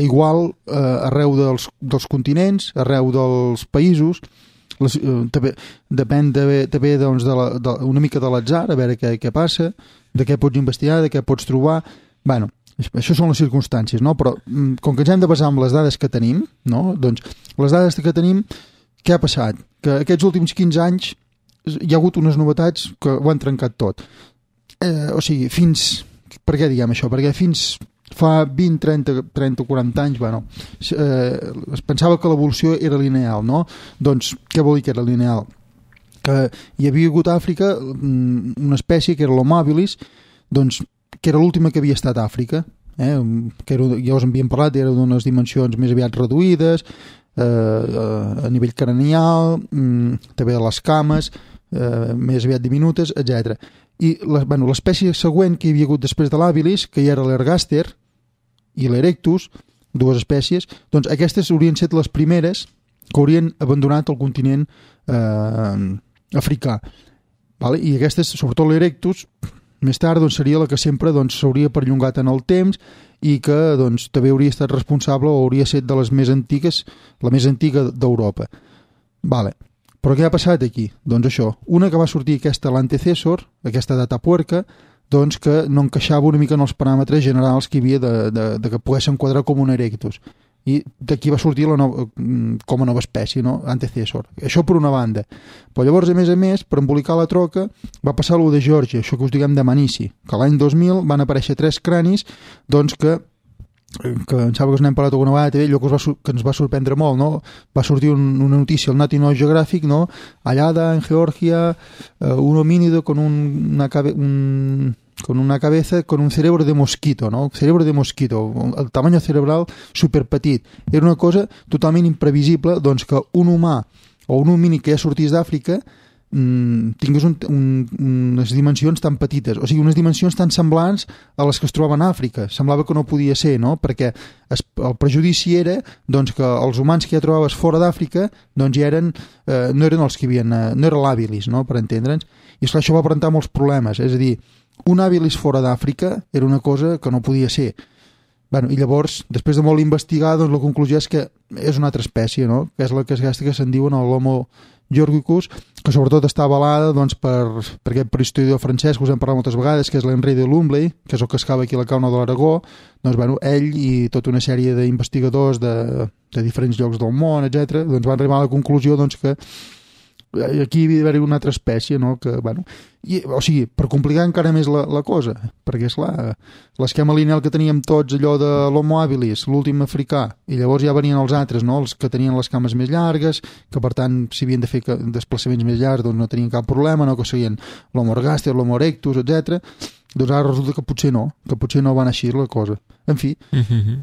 igual arreu dels continents, arreu dels països. També depèn també doncs, una mica de l'atzar, a veure què passa, de què pots investigar, de què pots trobar. Bueno, això són les circumstàncies, no? Però com que ens hem de basar en les dades que tenim, no? Doncs les dades que tenim, què ha passat? Que aquests últims 15 anys hi ha hagut unes novetats que ho han trencat tot. O sigui, per què diguem això? Perquè fins fa 20, 30 o 40 anys, bueno, es pensava que l'evolució era lineal, no? Doncs què vol dir que era lineal? Que hi havia hagut a Àfrica una espècie que era l'Homo habilis, doncs, que era l'última que havia estat a Àfrica, que ja us en havíem parlat, era d'unes dimensions més aviat reduïdes, a nivell cranial, també de les cames, més aviat diminutes, etc. I l'espècie següent que hi havia hagut després de l'habilis, que ja era l'ergàster i l'erectus, dues espècies, doncs aquestes haurien estat les primeres que haurien abandonat el continent africà. I aquestes, sobretot l'erectus, més tard doncs, seria la que sempre s'hauria perllongat en el temps i que doncs, també hauria estat responsable o hauria estat de les més antigues, la més antiga d'Europa. Però què ha passat aquí? Doncs això, una que va sortir l'antecessor, aquesta de Tapuerca, doncs que no encaixava una mica en els paràmetres generals que hi havia de que pogués enquadrar com un erectus. i d'aquí va sortir com a nova espècie, no? Antecessor. Això per una banda. Però llavors, a més, per embolicar la troca, va passar allò de Geòrgia, això que us diguem de Manici, que l'any 2000 van aparèixer 3 cranis, doncs que em sembla que us n'hem parlat alguna vegada també, allò que ens va sorprendre molt, no? Va sortir una notícia al National Geographic, no? Hallada en Georgia un homínido con una cabeza con un cerebro de mosquito, ¿no? Cerebro de mosquito, el tamaño cerebral superpetit. Era una cosa totalment imprevisible, doncs, que un humà o un homínic que ja sortís d'Àfrica tingués unes dimensions tan petites, o sigui, unes dimensions tan semblants a les que es trobaven a Àfrica. Semblava que no podia ser, no? Perquè el prejudici era doncs, que els humans que ja trobaves fora d'Àfrica doncs, ja no eren els que havien... no era l'hàbilis, no? Per entendre'ns. I esclar, això va presentar molts problemes. És a dir, un hàbilis fora d'Àfrica era una cosa que no podia ser. Bueno, i llavors, després de molt investigar, doncs, la conclusió és que és una altra espècie, no? Que és la que se'n diuen l'Homo georgicus, que sobretot està avalada doncs, per aquest historiador francès que us hem parlat moltes vegades, que és l'Henri de Lumley, que és el que excava aquí a la Cauna de l'Aragó. Doncs, bueno, ell i tota una sèrie d'investigadors de diferents llocs del món, etc., doncs, van arribar a la conclusió doncs, que aquí hi havia d'haver una altra espècie, no? Que, bueno, o sigui, per complicar encara més la cosa, perquè és clar, l'esquema lineal que teníem tots, allò de l'Homo habilis, l'últim africà, i llavors ja venien els altres, no? Els que tenien les cames més llargues, que per tant, si havien de fer desplaçaments més llargs, doncs no tenien cap problema, no? Que serien l'Homo ergaster, l'Homo erectus, etc. Doncs ara resulta que potser no va anar així la cosa. En fi,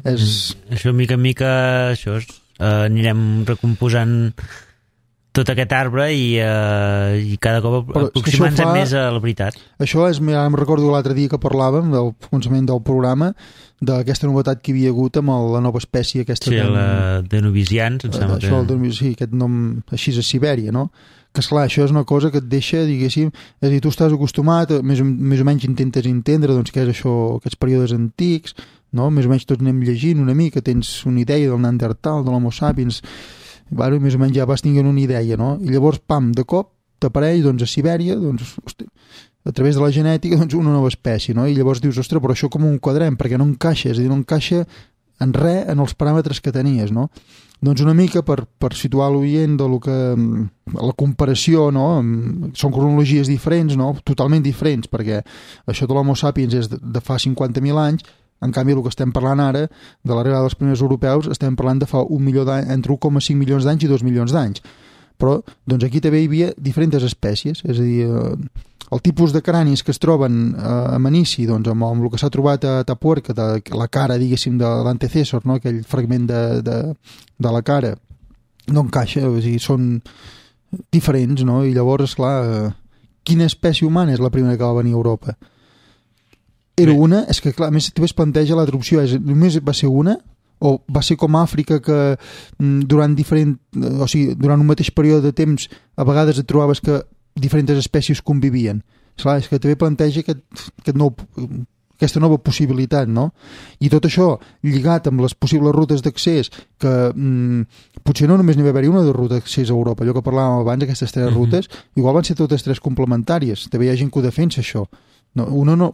és... Això, mica en mica, anirem recomposant tot aquest arbre i cada cop aproximant-nos més a la veritat. Això és, em recordo l'altre dia que parlàvem del començament del programa, d'aquesta novetat que hi havia hagut amb la nova espècie aquesta. Sí, la Denovisians, em sembla que... Sí, aquest nom així a Sibèria, no? Que esclar, això és una cosa que et deixa, diguéssim, és a dir, tu estàs acostumat, més o menys intentes entendre doncs, què és això, aquests períodes antics, no? Més o menys tots anem llegint una mica, tens una idea del Neandertal, de l'Homo sapiens, bueno, més o menys ja vas tinguent una idea, no? I llavors, pam, de cop, t'apareix doncs, a Sibèria, doncs, hosti, a través de la genètica, doncs, una nova espècie, no? I llavors dius, ostres, però això com ho enquadrem? Perquè no encaixa, és a dir, no encaixa en res en els paràmetres que tenies, no? Doncs una mica per situar l'oient de lo que... la comparació, no? Són cronologies diferents, no? Totalment diferents, perquè això de l'Homo sapiens és de fa 50.000 anys. En canvi, el que estem parlant ara, de l'arribada dels primers europeus, estem parlant de fa entre 1,5 milions d'anys i 2 milions d'anys. Però, doncs aquí també hi havia diferents espècies, és a dir, el tipus de cranis que es troben a Manici, doncs amb el que s'ha trobat a Atapuerca, de la cara, diguéssim, de l'antecessor, no? Aquell fragment de la cara, no encaixa, o sigui, són diferents, no? I llavors, esclar, quina espècie humana és la primera que va venir a Europa? Era una, és que clar, a més també es planteja la traducció, només va ser una, o va ser com a Àfrica que durant un mateix període de temps a vegades et trobaves que diferents espècies convivien. Esclar, és que també planteja aquesta nova possibilitat, no? I tot això lligat amb les possibles rutes d'accés, que potser no només n'hi va haver una de ruta d'accés a Europa, allò que parlàvem abans, aquestes 3 rutes, igual van ser totes 3 complementàries, també hi ha gent que ho defensa això. No, una no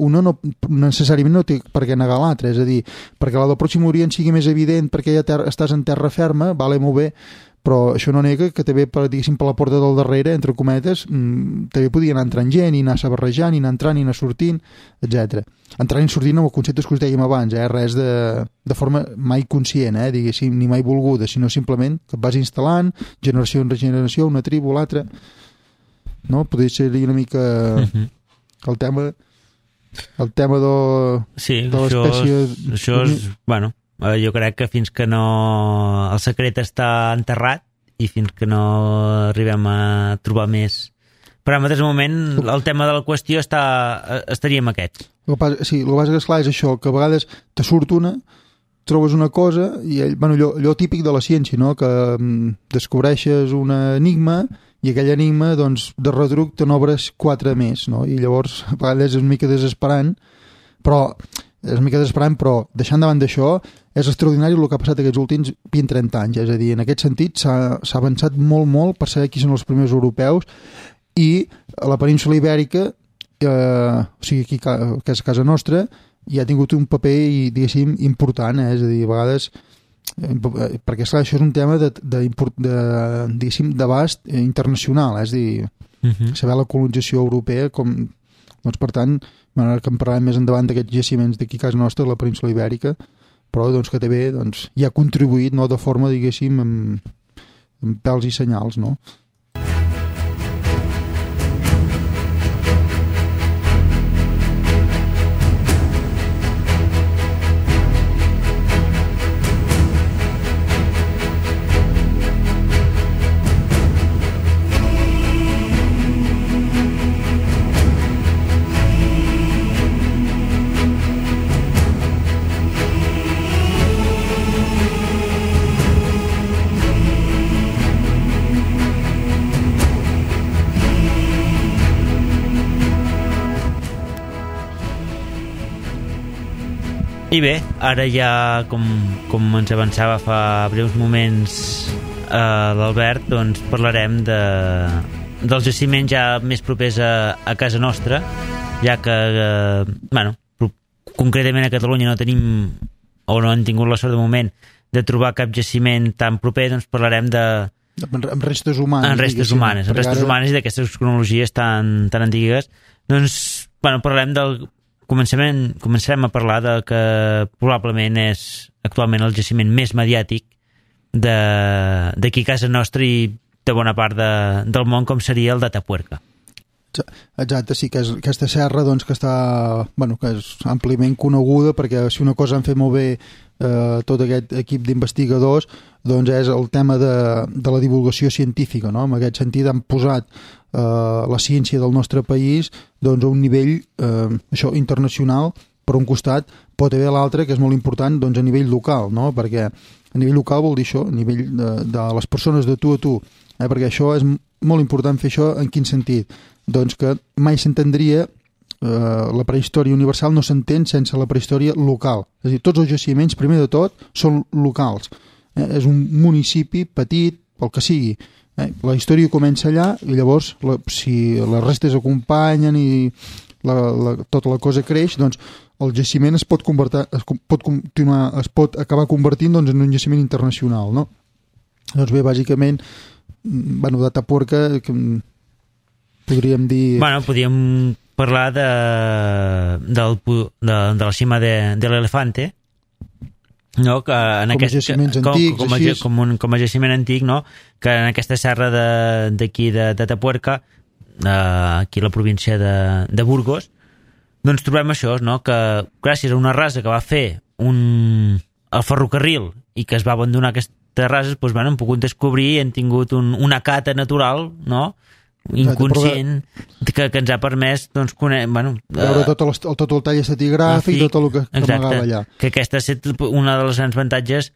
necessàriament no té per què negar l'altra, és a dir, perquè la del Pròxim Orient sigui més evident perquè ja estàs en terra ferma, vale, molt bé, però això no nega que també, diguéssim, per la porta del darrere, entre cometes, també podia anar entrant gent, i anar-se barrejant, i anar entrant, i anar sortint, etc. Entrant i sortint amb els conceptes que us dèiem abans, res de forma mai conscient, diguéssim, ni mai volguda, sinó simplement que et vas instal·lant, generació en generació, una tribu, l'altra, no? Podria ser una mica el tema de l'espècie... Això és, bueno, jo crec que fins que no... el secret està enterrat i fins que no arribem a trobar més paràmetres, al moment, el tema de la qüestió estaria amb aquests. El que passa que esclar és això, que a vegades te surt una, trobes una cosa i allò típic de la ciència, no? Que descobreixes un enigma i aquell enigma, doncs, de retruc te n'obres 4 més, no? I llavors a vegades és una mica desesperant, però deixant davant d'això, és extraordinari el que ha passat aquests últims 20-30 anys, és a dir, en aquest sentit s'ha avançat molt per saber qui són els primers europeus, i a la península ibèrica, o sigui, aquí que és casa nostra, hi ha tingut un paper, diguéssim, important, és a dir, a vegades perquè esclar, això és un tema d'abast internacional, és a dir, saber la colonització europea doncs per tant, que en parlarem més endavant d'aquests jaciments d'aquí a casa nostra, la península Ibèrica, però doncs que també hi ha contribuït, no, de forma, diguéssim, amb pèls i senyals, no? I bé, ara ja, com ens avançava fa breus moments l'Albert, doncs parlarem dels jaciments ja més propers a casa nostra, ja que, concretament a Catalunya no tenim, o no hem tingut la sort de moment, de trobar cap jaciment tan proper, doncs parlarem amb restes humanes. En restes humanes i d'aquestes cronologies tan antigues. Doncs, parlarem del... Començarem a parlar del que probablement és actualment el jaciment més mediàtic d'aquí a casa nostra i de bona part del món, com seria el d'Atapuerca. Exacte, sí, que és aquesta serra doncs, que està, que és àmpliament coneguda, perquè si una cosa han fet molt bé tot aquest equip d'investigadors, doncs és el tema de la divulgació científica, no? En aquest sentit han posat la ciència del nostre país doncs, a un nivell internacional, per un costat, però també l'altre, que és molt important, doncs, a nivell local, no? Perquè a nivell local vol dir això, a nivell de les persones de tu a tu, perquè això és molt important fer això. En quin sentit? Doncs que mai s'entendria, la prehistòria universal no s'entén sense la prehistòria local. És a dir, tots els jaciments, primer de tot, són locals. És un municipi petit, pel que sigui. La història comença allà i llavors, si les restes acompanyen i tota la cosa creix, doncs el jaciment es pot acabar convertint doncs, en un jaciment internacional, no? Doncs bé, bàsicament, d'Atapuerca, podríem dir... Podríem parlar de la cima de l'Elefante, no? Que en com a jaciments antics, com a jaciment antic, no? Que en aquesta serra d'aquí d'Atapuerca, aquí a la província de Burgos, doncs trobem això, no? Que gràcies a una rasa que va fer el ferrocarril i que es va abandonar aquestes rases, doncs, hem pogut descobrir i hem tingut una cata natural, no? Inconscient, que ens ha permès doncs, veure tot el tall estratigràfic i tot el que amagava allà. Que aquesta ha estat una de les grans avantatges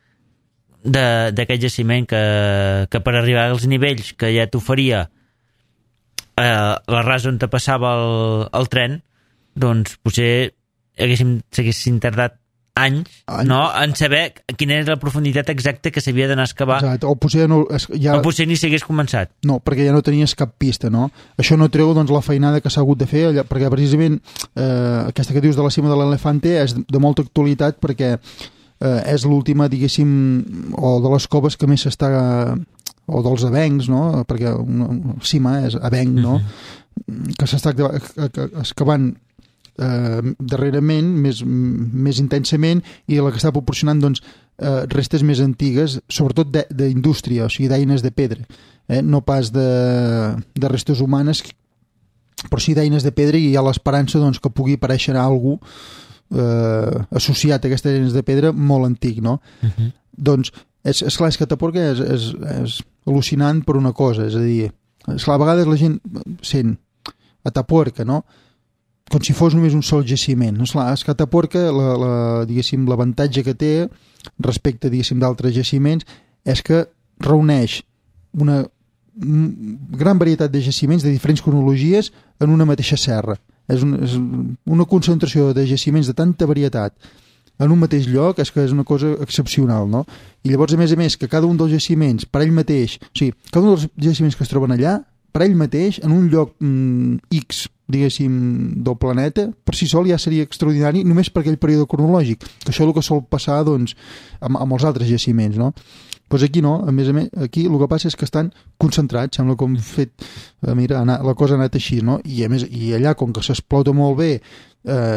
d'aquest jaciment, que per arribar als nivells que ja t'oferia la rasa on te passava el tren, doncs potser s'haguessin tardat anys, no? En saber quina era la profunditat exacta que s'havia d'anar a excavar. Exacte. O potser ni s'hagués començat. No, perquè ja no tenies cap pista, no? Això no treu doncs, la feinada que s'ha hagut de fer, perquè precisament aquesta que dius de la cima de l'Elefante és de molta actualitat, perquè és l'última, diguéssim, o de les coves que més s'està... o dels avencs, no? Perquè una cima és avenc, no? Que s'està excavant darrerament, més intensament, i la que està proporcionant doncs, restes més antigues, sobretot d'indústria, o sigui, d'eines de pedra, no pas de restes humanes, però sí d'eines de pedra, i hi ha l'esperança doncs, que pugui aparèixer algú associat a aquestes eines de pedra molt antic, no? Doncs és clar, és que Atapuerca és al·lucinant per una cosa, és a dir, a vegades la gent sent Atapuerca, no? Com si fos només un sol jaciment. És que Atapuerca, l'avantatge que té respecte, d'altres jaciments, és que reuneix una gran varietat de jaciments de diferents cronologies en una mateixa serra. És una concentració de jaciments de tanta varietat en un mateix lloc, és que és una cosa excepcional, no? I llavors, a més, que cada un dels jaciments, per ell mateix, o sigui, cada un dels jaciments que es troben allà, per ell mateix, en un lloc X, diguéssim, del planeta, per si sol ja seria extraordinari només per aquell període cronològic, que això és el que sol passar doncs, amb els altres jaciments, no? Doncs aquí no, a més, aquí el que passa és que estan concentrats, sembla com fet, mira, la cosa ha anat així, no? I a més, i allà, com que s'explota molt bé,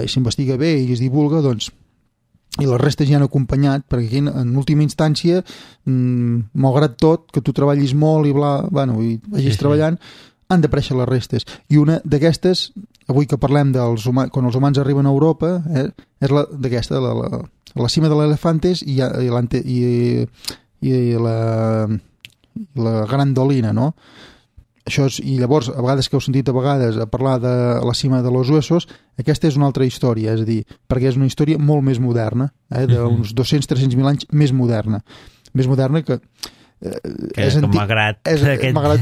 s'investiga bé i es divulga, doncs, i les restes ja han acompanyat, perquè aquí, en última instància, malgrat tot, que tu treballis molt i i vagis treballant, han d'aparèixer les restes. I una d'aquestes, avui que parlem dels humans, quan els humans arriben a Europa, és d'aquesta, la cima de l'Elefantes i la Grandolina, no? Això és, i llavors, a vegades que heu sentit a vegades a parlar de la cima de los Huesos, aquesta és una altra història, és a dir, perquè és una història molt més moderna, d'uns 200-300.000 anys més moderna que és malgrat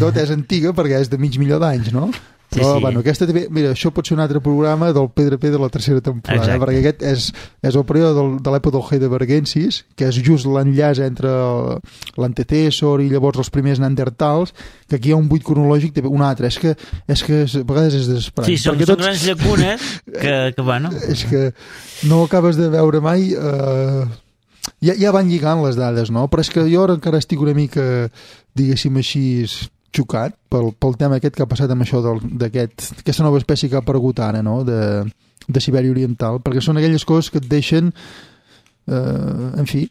tot és antiga perquè és de mig milió d'anys, no? Però, bueno, aquesta també, mira, això pot ser un altre programa del Pedra de la tercera temporada, perquè aquest és el període de l'època del Heidelbergensis, que és just l'enllaç entre l'antecessor i llavors els primers neandertals, que aquí hi ha un buit cronològic, un altre, és que a vegades és desesperant. Sí, són grans llacunes que bueno... És que no acabes de veure mai... Ja van lligant les dades, no? Però és que jo encara estic una mica, diguéssim així, xocat pel tema aquest que ha passat amb això d'aquesta nova espècie que ha aparegut ara, no? De Sibèria Oriental, perquè són aquelles coses que et deixen en fi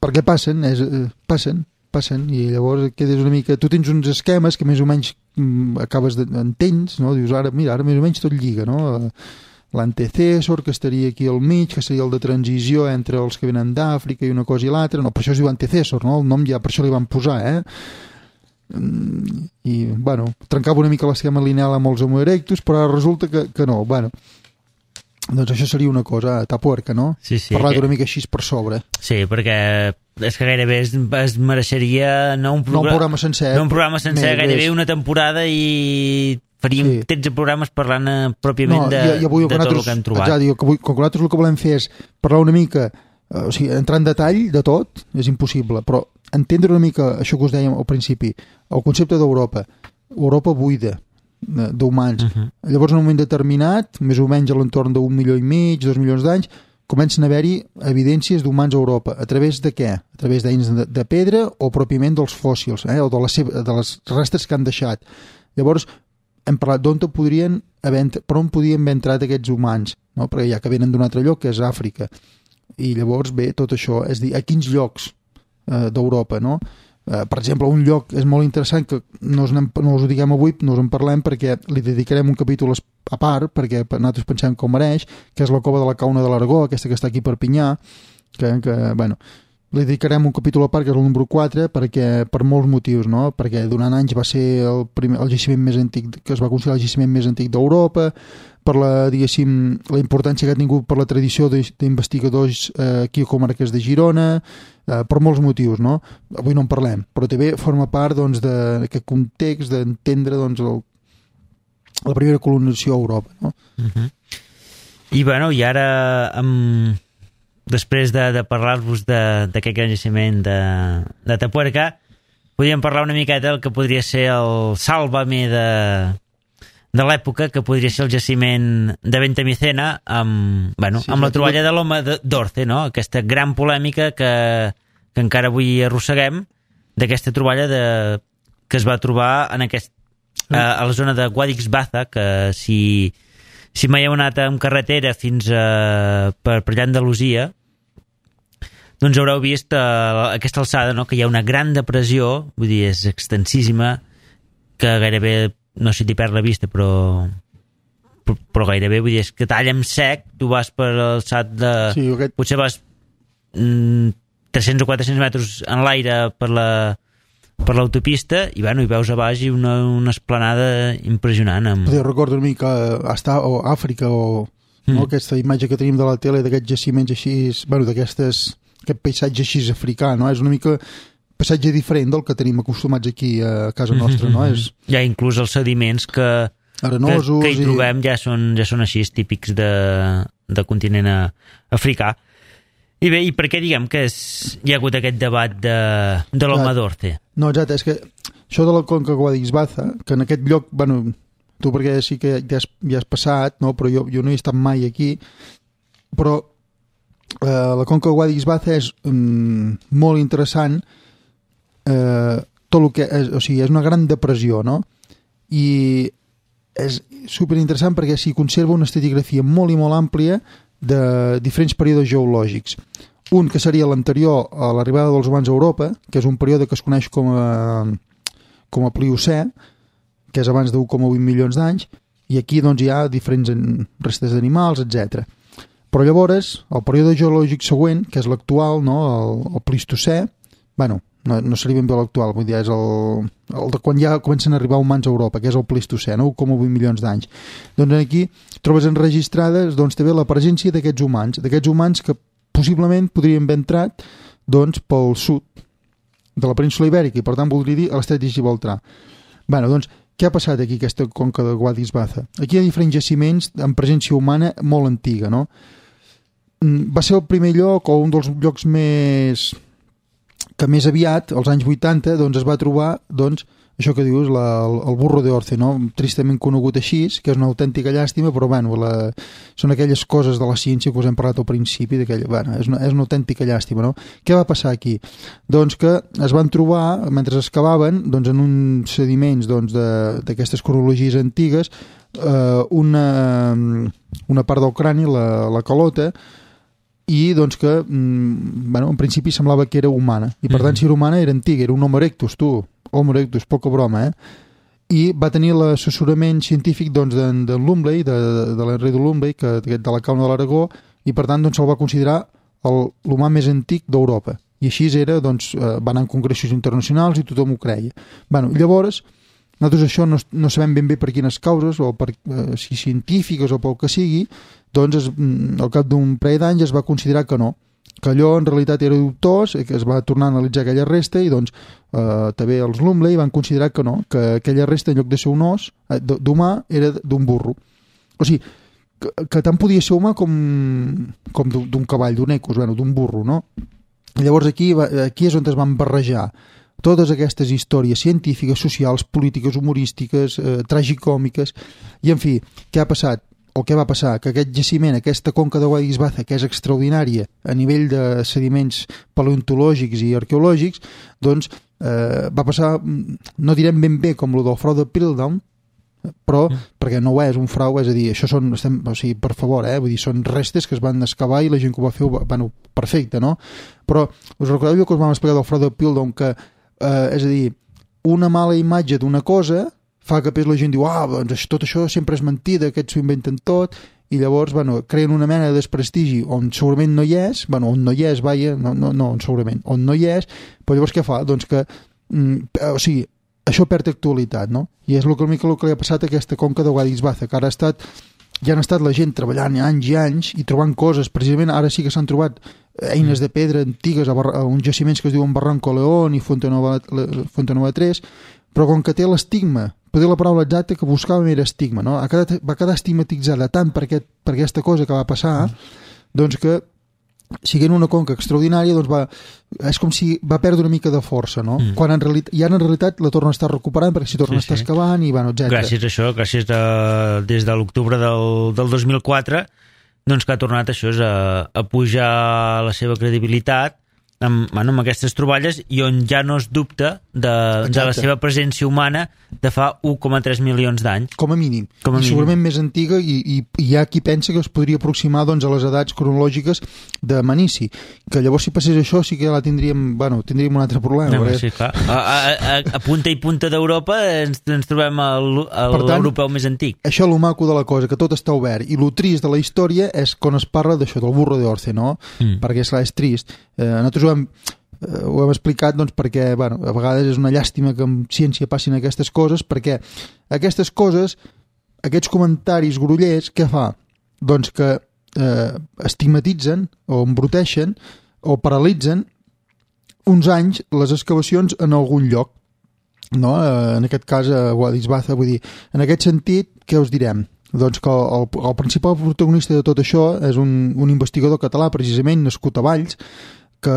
perquè passen i llavors quedes una mica, tu tens uns esquemes que més o menys acabes d'entens, no? Dius ara més o menys tot lliga, no? L'antecessor, que estaria aquí al mig, que seria el de transició entre els que venen d'Àfrica i una cosa i l'altra, no, per això es diu antecessor, no? El nom ja per això li van posar, i, bueno, trencava una mica l'esquema lineal amb els Homo erectus, però ara resulta que no, bueno, doncs això seria una cosa tapuerca, no? Sí, parlar una mica així per sobre. Sí, perquè és que gairebé es mereixeria no un programa sencer, gairebé una temporada i faríem 13 programes parlant pròpiament de tot el que hem trobat. Ja dic, com que nosaltres el que volem fer és parlar una mica, o sigui, entrar en detall de tot, és impossible, però entendre una mica això que us dèiem al principi, el concepte d'Europa, Europa buida d'humans. Llavors, en un moment determinat, més o menys a l'entorn d'1,5 milió, 2 milions d'anys, comencen a haver-hi evidències d'humans a Europa. A través de què? A través d'eines de pedra o pròpiament dels fòssils, o de les restes que han deixat. Llavors, hem parlat d'on podien haver entrat aquests humans, no? Perquè ja que venen d'un altre lloc, que és Àfrica. I llavors ve tot això, és a dir, a quins llocs d'Europa, no? Per exemple, un lloc és molt interessant que no us ho diguem avui, no us en parlem perquè li dedicarem un capítol a part, perquè nosaltres pensem que ho mereix, que és la cova de la Cauna de l'Aragó, aquesta que està aquí a Perpinyà, que bueno, li dedicarem un capítol a part, que és el número 4, perquè, per molts motius, no? Perquè durant anys va ser el jaciment més antic, que es va considerar el jaciment més antic d'Europa, per la importància que ha tingut per la tradició d'investigadors aquí a comarques de Girona, per molts motius, no? Avui no en parlem, però també forma part doncs, d'aquest context d'entendre doncs, la primera colonització a Europa, no? I bueno, i ara després de parlar-vos d'aquest gran jaciment de Tapuerca, podríem parlar una miqueta del que podria ser el Sálvame de l'època, que podria ser el jaciment de Bentemicena amb la troballa de l'home d'Orce, no? Aquesta gran polèmica que encara avui arrosseguem, d'aquesta troballa que es va trobar a la zona de Guadix-Baza, que si mai heu anat amb carretera fins per allà a Andalusia, doncs haureu vist aquesta alçada, no? Que hi ha una gran depressió, vull dir, és extensíssima, que gairebé, no sé si t'hi perd la vista, però gairebé, vull dir, és que talla en sec, tu vas per l'alçat de... Sí, potser vas 300 o 400 metres en l'aire per l'autopista i veus a baix una esplanada impressionant. Jo recordo una mica a Àfrica o aquesta imatge que tenim de la tele d'aquests jaciments així, aquest paisatge així africà, no? És una mica paisatge diferent del que tenim acostumats aquí a casa nostra, no? Ja inclús els sediments que hi trobem ja són així típics de continent africà. I bé, i per què diguem que hi ha hagut aquest debat de l'home d'Orce? No, exacte, és que això de la Conca Guadix-Baza, que en aquest lloc, bueno, tu perquè sí que ja has passat, no? Però jo no he estat mai aquí, però la Conca Guadix-Baza és molt interessant, tot el que és, o sigui, és una gran depressió, no? I és superinteressant perquè s'hi conserva una estratigrafia molt i molt àmplia de diferents períodes geològics. Un que seria l'anterior a l'arribada dels humans a Europa, que és un període que es coneix com a Pliocè, que és abans de 1,8 milions d'anys, i aquí doncs, hi ha diferents restes d'animals, etc. Però llavors, el període geològic següent, que és l'actual, no? el Plistocè, bueno, no seria ben bé l'actual, vull dir, és el de quan ja comencen a arribar humans a Europa, que és el Plistocè, no? 1,8 milions d'anys. Doncs aquí trobes enregistrades doncs, també la presència d'aquests humans que possiblement podrien haver entrat doncs, pel sud de la península Ibèrica i per tant voldria dir a l'estret de Gibraltar. Bé, doncs, què ha passat aquí, aquesta conca de Guadix-Baza? Aquí hi ha diferents jaciments amb presència humana molt antiga, no? Va ser el primer lloc o un dels llocs que més aviat, als anys 80, doncs, es va trobar doncs, això que dius, el burro de Orce, no? Tristament conegut així, que és una autèntica llàstima, però bueno, són aquelles coses de la ciència que us hem parlat al principi, bueno, és una autèntica llàstima, no? Què va passar aquí? Doncs que es van trobar, mentre excavaven, doncs, en uns sediments doncs, d'aquestes cronologies antigues, una part del crani, la calota, i doncs que, bueno, en principi semblava que era humana, i per tant si era humana era antiga, era un Homo erectus, Homo erectus, poca broma, i va tenir l'assessorament científic doncs, de Lumley, de l'Henry de Lumley, de la Cauna de l'Aragó, i per tant doncs, se'l va considerar l'humà més antic d'Europa, i així era, doncs, va anar en congressos internacionals i tothom ho creia. Bueno, llavors, nosaltres això no sabem ben bé per quines causes, o si científiques o pel que sigui, doncs al cap d'un parell d'anys es va considerar que no, que allò en realitat era dubtós, que es va tornar a analitzar aquella resta i doncs també els Lumley van considerar que no, que aquella resta en lloc de ser un os d'humà era d'un burro. O sigui, que tant podia ser humà com d'un cavall, d'un ecos, bueno, d'un burro, no? I llavors aquí és on es van barrejar totes aquestes històries científiques, socials, polítiques, humorístiques, tragicòmiques, i en fi, què ha passat? O què va passar? Que aquest jaciment, aquesta conca de Guadix-Baza, que és extraordinària a nivell de sediments paleontològics i arqueològics, doncs va passar, no direm ben bé com el del frau de Piltdown, però perquè no ho és un frau, és a dir, això són, o sigui, per favor, vull dir, són restes que es van excavar i la gent que ho va fer, bueno, perfecte, no? Però us recordeu que us vam explicar del frau de Piltdown, que, és a dir, una mala imatge d'una cosa fa que la gent diu, doncs tot això sempre és mentida, aquests s'ho inventen tot, i llavors, bueno, creen una mena de desprestigi on segurament no hi és, bueno, on no hi és, segurament, on no hi és, però llavors què fa? Doncs que, o sigui, això perd actualitat, no? I és el que li ha passat a aquesta conca de Guadix-Baza, que ara ja han estat la gent treballant anys i anys i trobant coses, precisament ara sí que s'han trobat eines de pedra antigues a uns jaciments que es diuen Barranco León i Fontenova 3, però com que té l'estigma, potser la paraula exacta que buscàvem era estigma, no? Va quedar estigmatitzada tant per aquesta cosa que va passar, doncs que, siguent una conca extraordinària, doncs és com si va perdre una mica de força, no? Quan en realitat la torna a estar recuperant, perquè s'hi torna a estar excavant, i bueno, etc. Gràcies a això, des de l'octubre del 2004, doncs que ha tornat això a pujar la seva credibilitat amb aquestes troballes i on ja no es dubta de la seva presència humana de fa 1,3 milions d'anys. Com a mínim. Segurament més antiga i hi ha qui pensa que es podria aproximar doncs, a les edats cronològiques de Manici, que llavors si passés això sí que tindríem un altre problema. No, sí, clar. A punta i punta d'Europa ens trobem l'europeu més antic. Això és el maco de la cosa, que tot està obert, i el trist de la història és quan es parla d'això, del burro de Orce, no? Perquè és trist. Nosaltres ho hem explicat doncs, perquè a vegades és una llàstima que en ciència passin aquestes coses, perquè aquestes coses, aquests comentaris grollers, què fa? Doncs que estigmatitzen o embruteixen o paralitzen uns anys les excavacions en algun lloc, no? En aquest cas a Guadix-Baza, vull dir, en aquest sentit, què us direm? Doncs que el principal protagonista de tot això és un investigador català, precisament nascut a Valls, que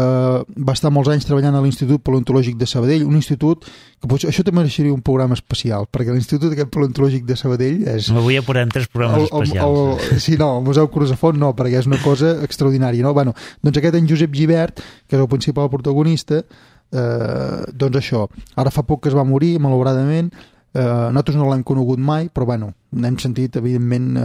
va estar molts anys treballant a l'Institut Paleontològic de Sabadell, un institut que potser, això també mereixeria un programa especial, perquè l'Institut aquest Paleontològic de Sabadell és... Avui ja podem 3 programes especials. Sí, no, el Museu Crusafont no, perquè és una cosa extraordinària, no? Bueno, doncs aquest en Josep Gibert, que és el principal protagonista, doncs això, ara fa poc que es va morir, malauradament, nosaltres no l'hem conegut mai, però bueno, n'hem sentit, evidentment,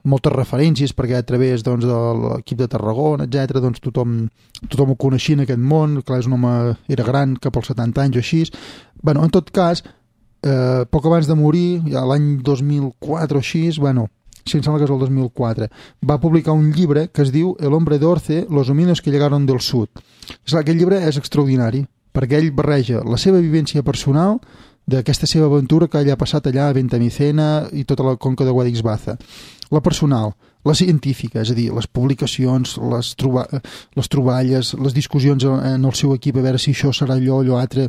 moltes referències, perquè a través doncs, de l'equip de Tarragona, etc, doncs tothom ho coneixia en aquest món, clar, és un home, era gran, cap als 70 anys o així. Bueno, en tot cas, poc abans de morir, ja l'any 2004 o així, bueno, si em sembla que és el 2004, va publicar un llibre que es diu El hombre de Orce, los homínidos que llegaron del sud. Aquest llibre és extraordinari, perquè ell barreja la seva vivència personal d'aquesta seva aventura que ell ha passat allà a Ventamicena i tota la conca de Guadix-Baza. La personal, la científica, és a dir, les publicacions, les troballes, les discussions en el seu equip a veure si això serà allò altre,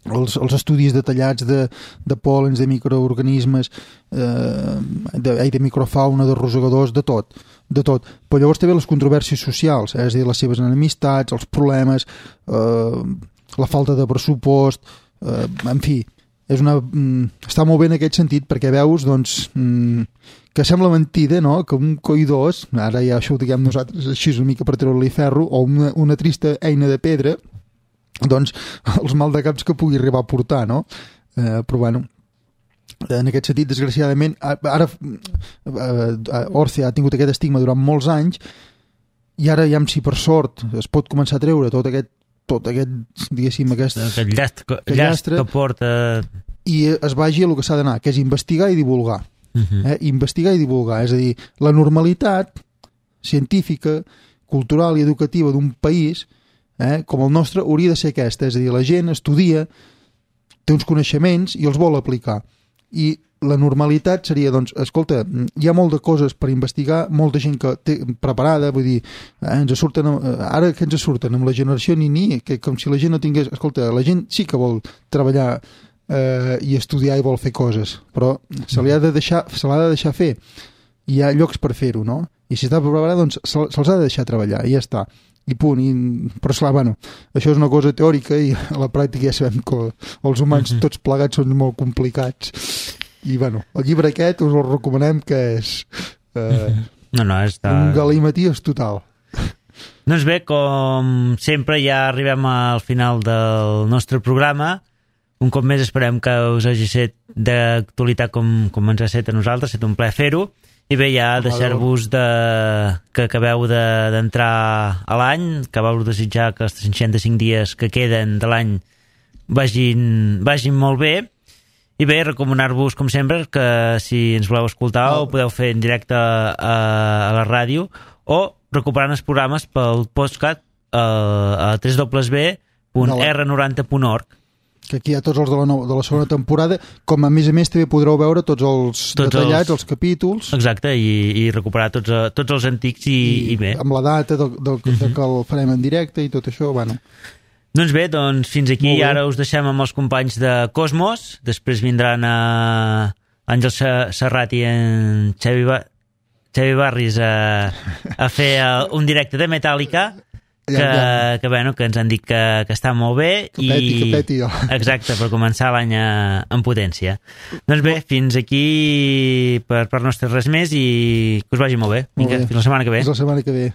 els estudis detallats de pòlens, de microorganismes, de microfauna, de rosegadors, de tot. Però llavors també les controvèrsies socials, és a dir, les seves enemistats, els problemes, la falta de pressupost, en fi, està molt bé en aquest sentit perquè veus doncs, que sembla mentida, no? Que un coi2, ara ja això ho diguem nosaltres així una mica per treure-li ferro, o una trista eina de pedra, doncs els maldecaps que pugui arribar a portar, no? Però bueno, en aquest sentit, desgraciadament, ara Orce ha tingut aquest estigma durant molts anys i ara ja, si per sort es pot començar a treure tot aquest diguéssim, aquest llastre que porta i es vagi a el que s'ha d'anar, que és investigar i divulgar. Investigar i divulgar, és a dir, la normalitat científica, cultural i educativa d'un país com el nostre hauria de ser aquesta, és a dir, la gent estudia, té uns coneixements i els vol aplicar, i la normalitat seria, doncs, escolta, hi ha molt de coses per investigar, molta gent que té preparada, vull dir, ens surten, ara que ens surten amb la generació ni, que com si la gent no tingués, escolta, la gent sí que vol treballar i estudiar i vol fer coses, però se l'ha de deixar fer, hi ha llocs per fer-ho, no? I si està preparat, doncs se'ls ha de deixar treballar i ja està, i punt. Però esclar, bueno, això és una cosa teòrica i a la pràctica ja sabem que els humans tots plegats són molt complicats. I bueno, el llibre aquest us el recomanem, que és un galimaties total. Doncs bé, com sempre ja arribem al final del nostre programa. Un cop més esperem que us hagi set d'actualitat com ens ha set a nosaltres, ha estat un plaer fer-ho. I bé, ja deixar-vos que acabeu d'entrar a l'any, acabeu de desitjar que els 365 dies que queden de l'any vagin molt bé. I bé, recomanar-vos, com sempre, que si ens voleu escoltar ho podeu fer en directe a la ràdio o recuperant els programes pel podcast a www.r90.org. Que aquí hi ha tots els de la segona temporada, com a més també podreu veure tots els detallats, els capítols. Exacte, i recuperar tots els antics i bé. Amb la data que el farem en directe i tot això, bueno. Doncs bé, fins aquí ara us deixem amb els companys de Cosmos, després vindran Àngel Serrat i en Xavi Barris a fer un directe de Metallica, que ens han dit que està molt bé que peti. Exacte, per començar l'any en potència. Doncs bé, fins aquí per nostres res més i que us vagi molt bé. Vinga, fins la setmana que ve. Fins la setmana que ve.